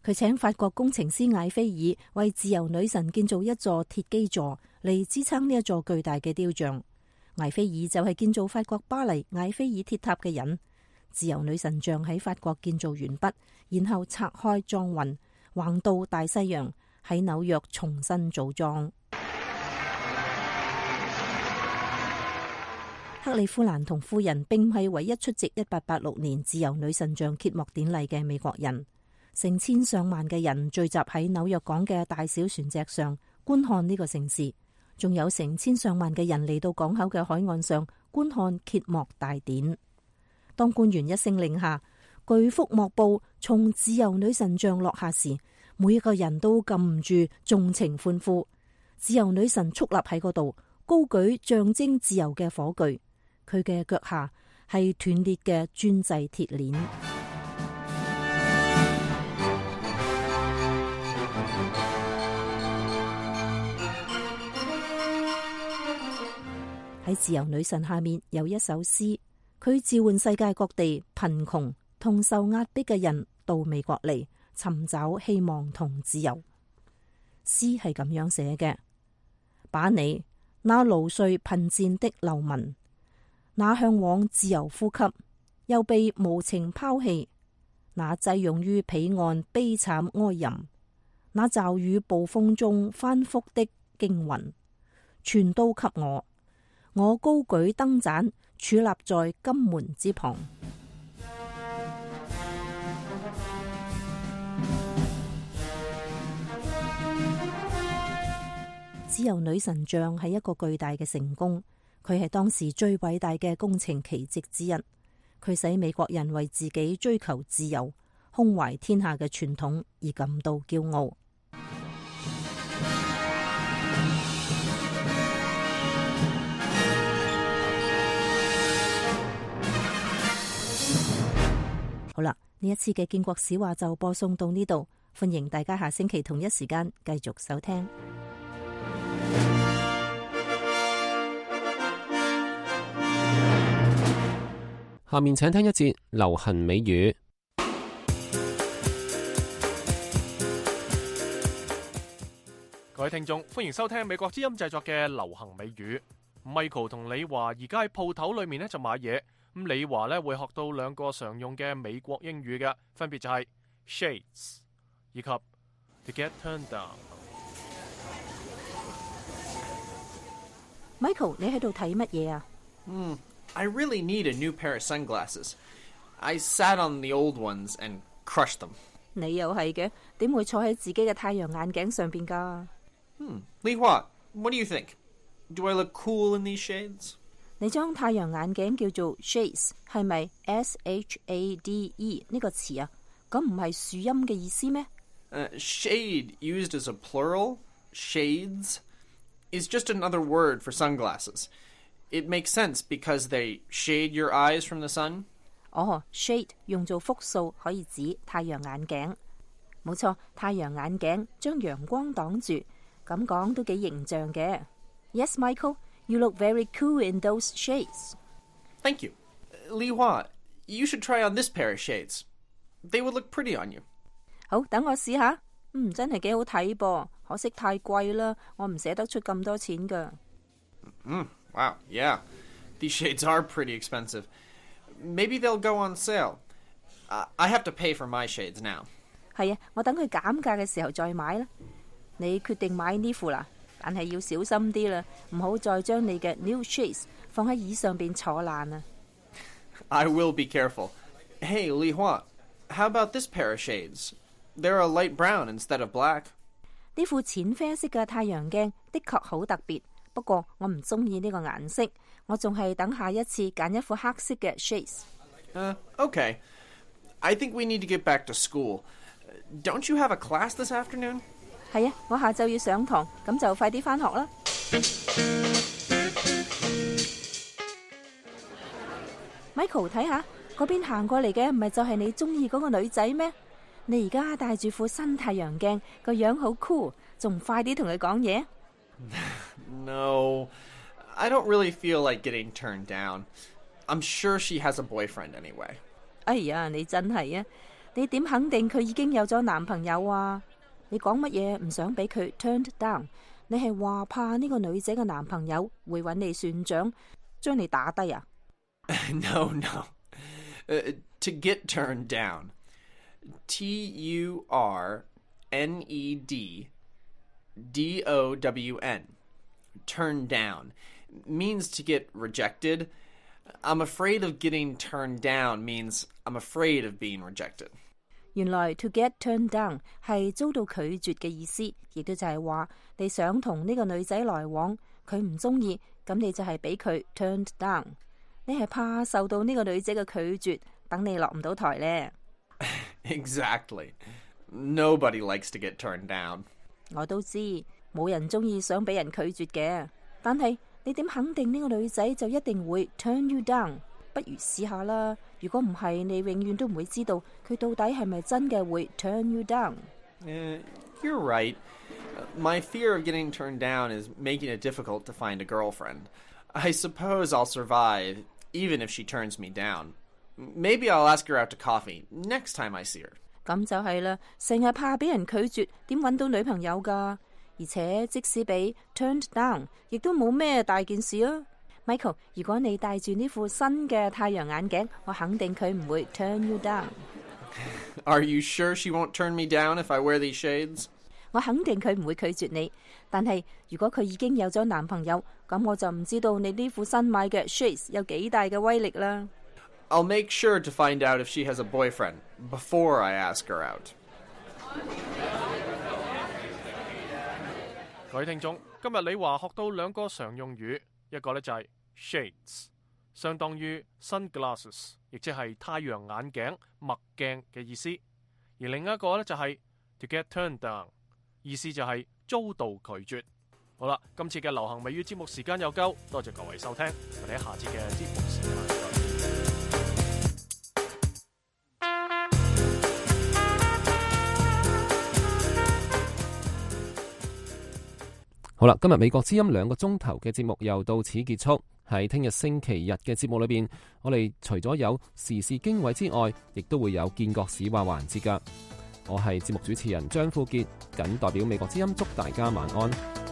佢請法國工程師艾菲爾為自由女神建造一座鐵基座嚟支撐呢一座巨大嘅雕像。艾菲爾就係建造法國巴黎艾菲爾鐵塔嘅人。自由女神像喺法國建造完畢，然後拆開裝運，橫渡大西洋，喺紐約重新組裝。克里夫蘭同夫人並唔係唯一出席一八八六年自由女神像揭幕典禮嘅美國人，成千上萬嘅人聚集喺紐約港嘅大小船隻上觀看呢個盛事，仲有成千上萬嘅人嚟到港口嘅海岸上觀看揭幕大典。當官員一聲令下，巨幅幕布從自由女神像落下時，每一個人都禁唔住縱情歡呼。自由女神矗立喺嗰度，高舉象徵自由嘅火炬。佢嘅腳下係斷裂嘅專製鐵鏈。喺自由女神下面有一首詩，佢召喚世界各地貧窮同受壓迫嘅人到美國嚟尋找希望同自由。詩係咁樣寫嘅：把你那勞累貧賤的流民，那向往自由呼吸又被無情拋棄，那擠擁於彼岸悲慘哀吟，那驟雨暴風中翻覆的驚魂，全都給我。我高舉燈盞，矗立在金門之旁。自由女神像係一個巨大嘅成功。佢係當時最偉大嘅工程奇蹟之一，佢使美國人為自己追求自由、胸懷天下嘅傳統而感到驕傲。好啦，呢一次嘅建國史話就播送到呢度，歡迎大家下星期同一時間繼續收聽。下面請聽一節流行美語。各位聽眾，歡迎收聽美國之音製作嘅流行美語。Michael 同李華而家喺鋪頭裏面咧就買嘢，咁李華咧會學到兩個常用嘅美國英語嘅，分別就係 shades 以及 to get turned down。Michael， 你喺度睇乜嘢啊？嗯。I really need a new pair of sunglasses. I sat on the old ones and crushed them. 你又係嘅，點會坐喺自己嘅太陽眼鏡上邊㗎？Hmm. Li Hua, what do you think? Do I look cool in these shades? 你將太陽眼鏡叫做 shades， 係咪 S H A D E 呢個詞啊？咁唔係樹蔭嘅意思咩？ Uh, shade used as a plural, shades, is just another word for sunglasses.It makes sense because they shade your eyes from the sun. 哦、oh, ，shade 用做複數可以指太陽眼鏡，冇錯，太陽眼鏡將陽光擋住，咁講都幾形象嘅。Yes, Michael, you look very cool in those shades. Thank you. Li Hua, you should try on this pair of shades. They would look pretty on you. 好，等我試下。嗯，真係幾好睇噃，可惜太貴啦，我唔捨得出咁多錢㗎。Mm, wow, yeah. These shades are pretty expensive. Maybe they'll go on sale. Uh, I have to pay for my shades now. 係啊，我等佢減價嘅時候再買啦。你決定買呢副啦，但係要小心啲啦，唔好再將你嘅 new shades 放喺椅上邊坐爛啊。I will be careful. Hey, Li Hua, how about this pair of shades? They're a light brown instead of black. 呢副淺啡色嘅太陽鏡的確好特別，不過我唔中意呢個顏色，我仲係等下一次揀一副黑色嘅 shades。Uh, okay. I think we need to get back to school. Don't you have a class this afternoon? 係啊，我下晝要上堂，咁就快啲返學啦。Michael， 睇下嗰邊行過嚟嘅唔係就係你中意嗰個女仔咩？你而家戴住副新太陽鏡，個樣好 cool， 仲唔快啲同佢講嘢？ No, I don't really feel like getting turned down. I'm sure she has a boyfriend anyway. 哎呀，你真係啊！你點肯定佢已經有咗男朋友啊？你講乜嘢唔想俾佢 turned down？ 你係話怕呢個女仔嘅男朋友會揾你算賬，將你打低啊？ No, no. Uh, to get turned down. T U R N E D D O W N. Turn down means to get rejected. I'm afraid of getting turned down means I'm afraid of being rejected. 原來 to get turned down 係遭到拒絕嘅意思，亦都就係話你想同呢個女仔來往，佢唔中意，咁你就係俾佢 turned down。你係怕受到呢個女仔嘅拒絕，等你落唔到台呢。Exactly. Nobody likes to get turned down. 我都知，冇人中意想俾人拒絕嘅，但係你點肯定呢個女仔就一定會 turn you down？ 不如試下啦。如果唔係，你永遠都唔會知道佢到底係咪真嘅會 turn you down。 Uh, you're right. My fear of getting turned down is making it difficult to find a girlfriend. I suppose I'll survive, even if she turns me down. Maybe I'll ask her out to coffee next time I see her. 咁就係啦，成日怕俾人拒絕，點搵到女朋友㗎？而且即使俾 turned down， 亦都冇咩大件事啊。Michael， 如果你戴住呢副新嘅太陽眼鏡，我肯定佢唔會 turn you down。 Are you sure she won't turn me down if I wear these shades? 我肯定佢唔會拒絕你，但係如果佢已經有咗男朋友，咁我就唔知道你呢副新買嘅 shades 有幾大嘅威力啦。I'll make sure to find out if she has a boyfriend before I ask her out. 各位聽眾，今日李華學到兩個常用語，一個呢就係 shades， 相當於 sunglasses， 亦即係太陽眼鏡、墨鏡嘅意思；而另一個呢就係 to get turned down， 意思就係遭到拒絕。好啦，今次嘅流行美語節目時間又夠，多謝各位收聽，我哋喺下次嘅節目時間再見。好啦，今日美國之音兩個鐘頭嘅節目又到此結束。喺聽日星期日嘅節目裏邊，我哋除咗有時事經緯之外，亦都會有見國史話環節㗎。我係節目主持人張富傑，謹代表美國之音祝大家晚安。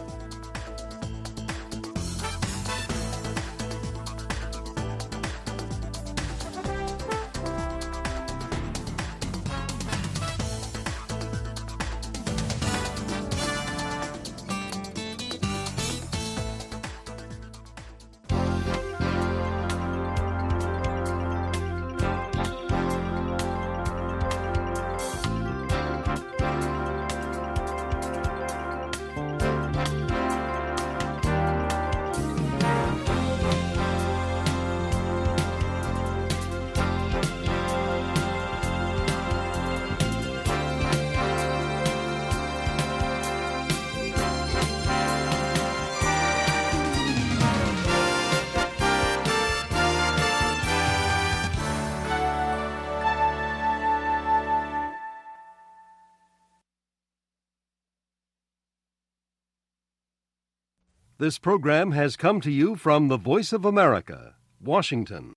This program has come to you from the Voice of America, Washington.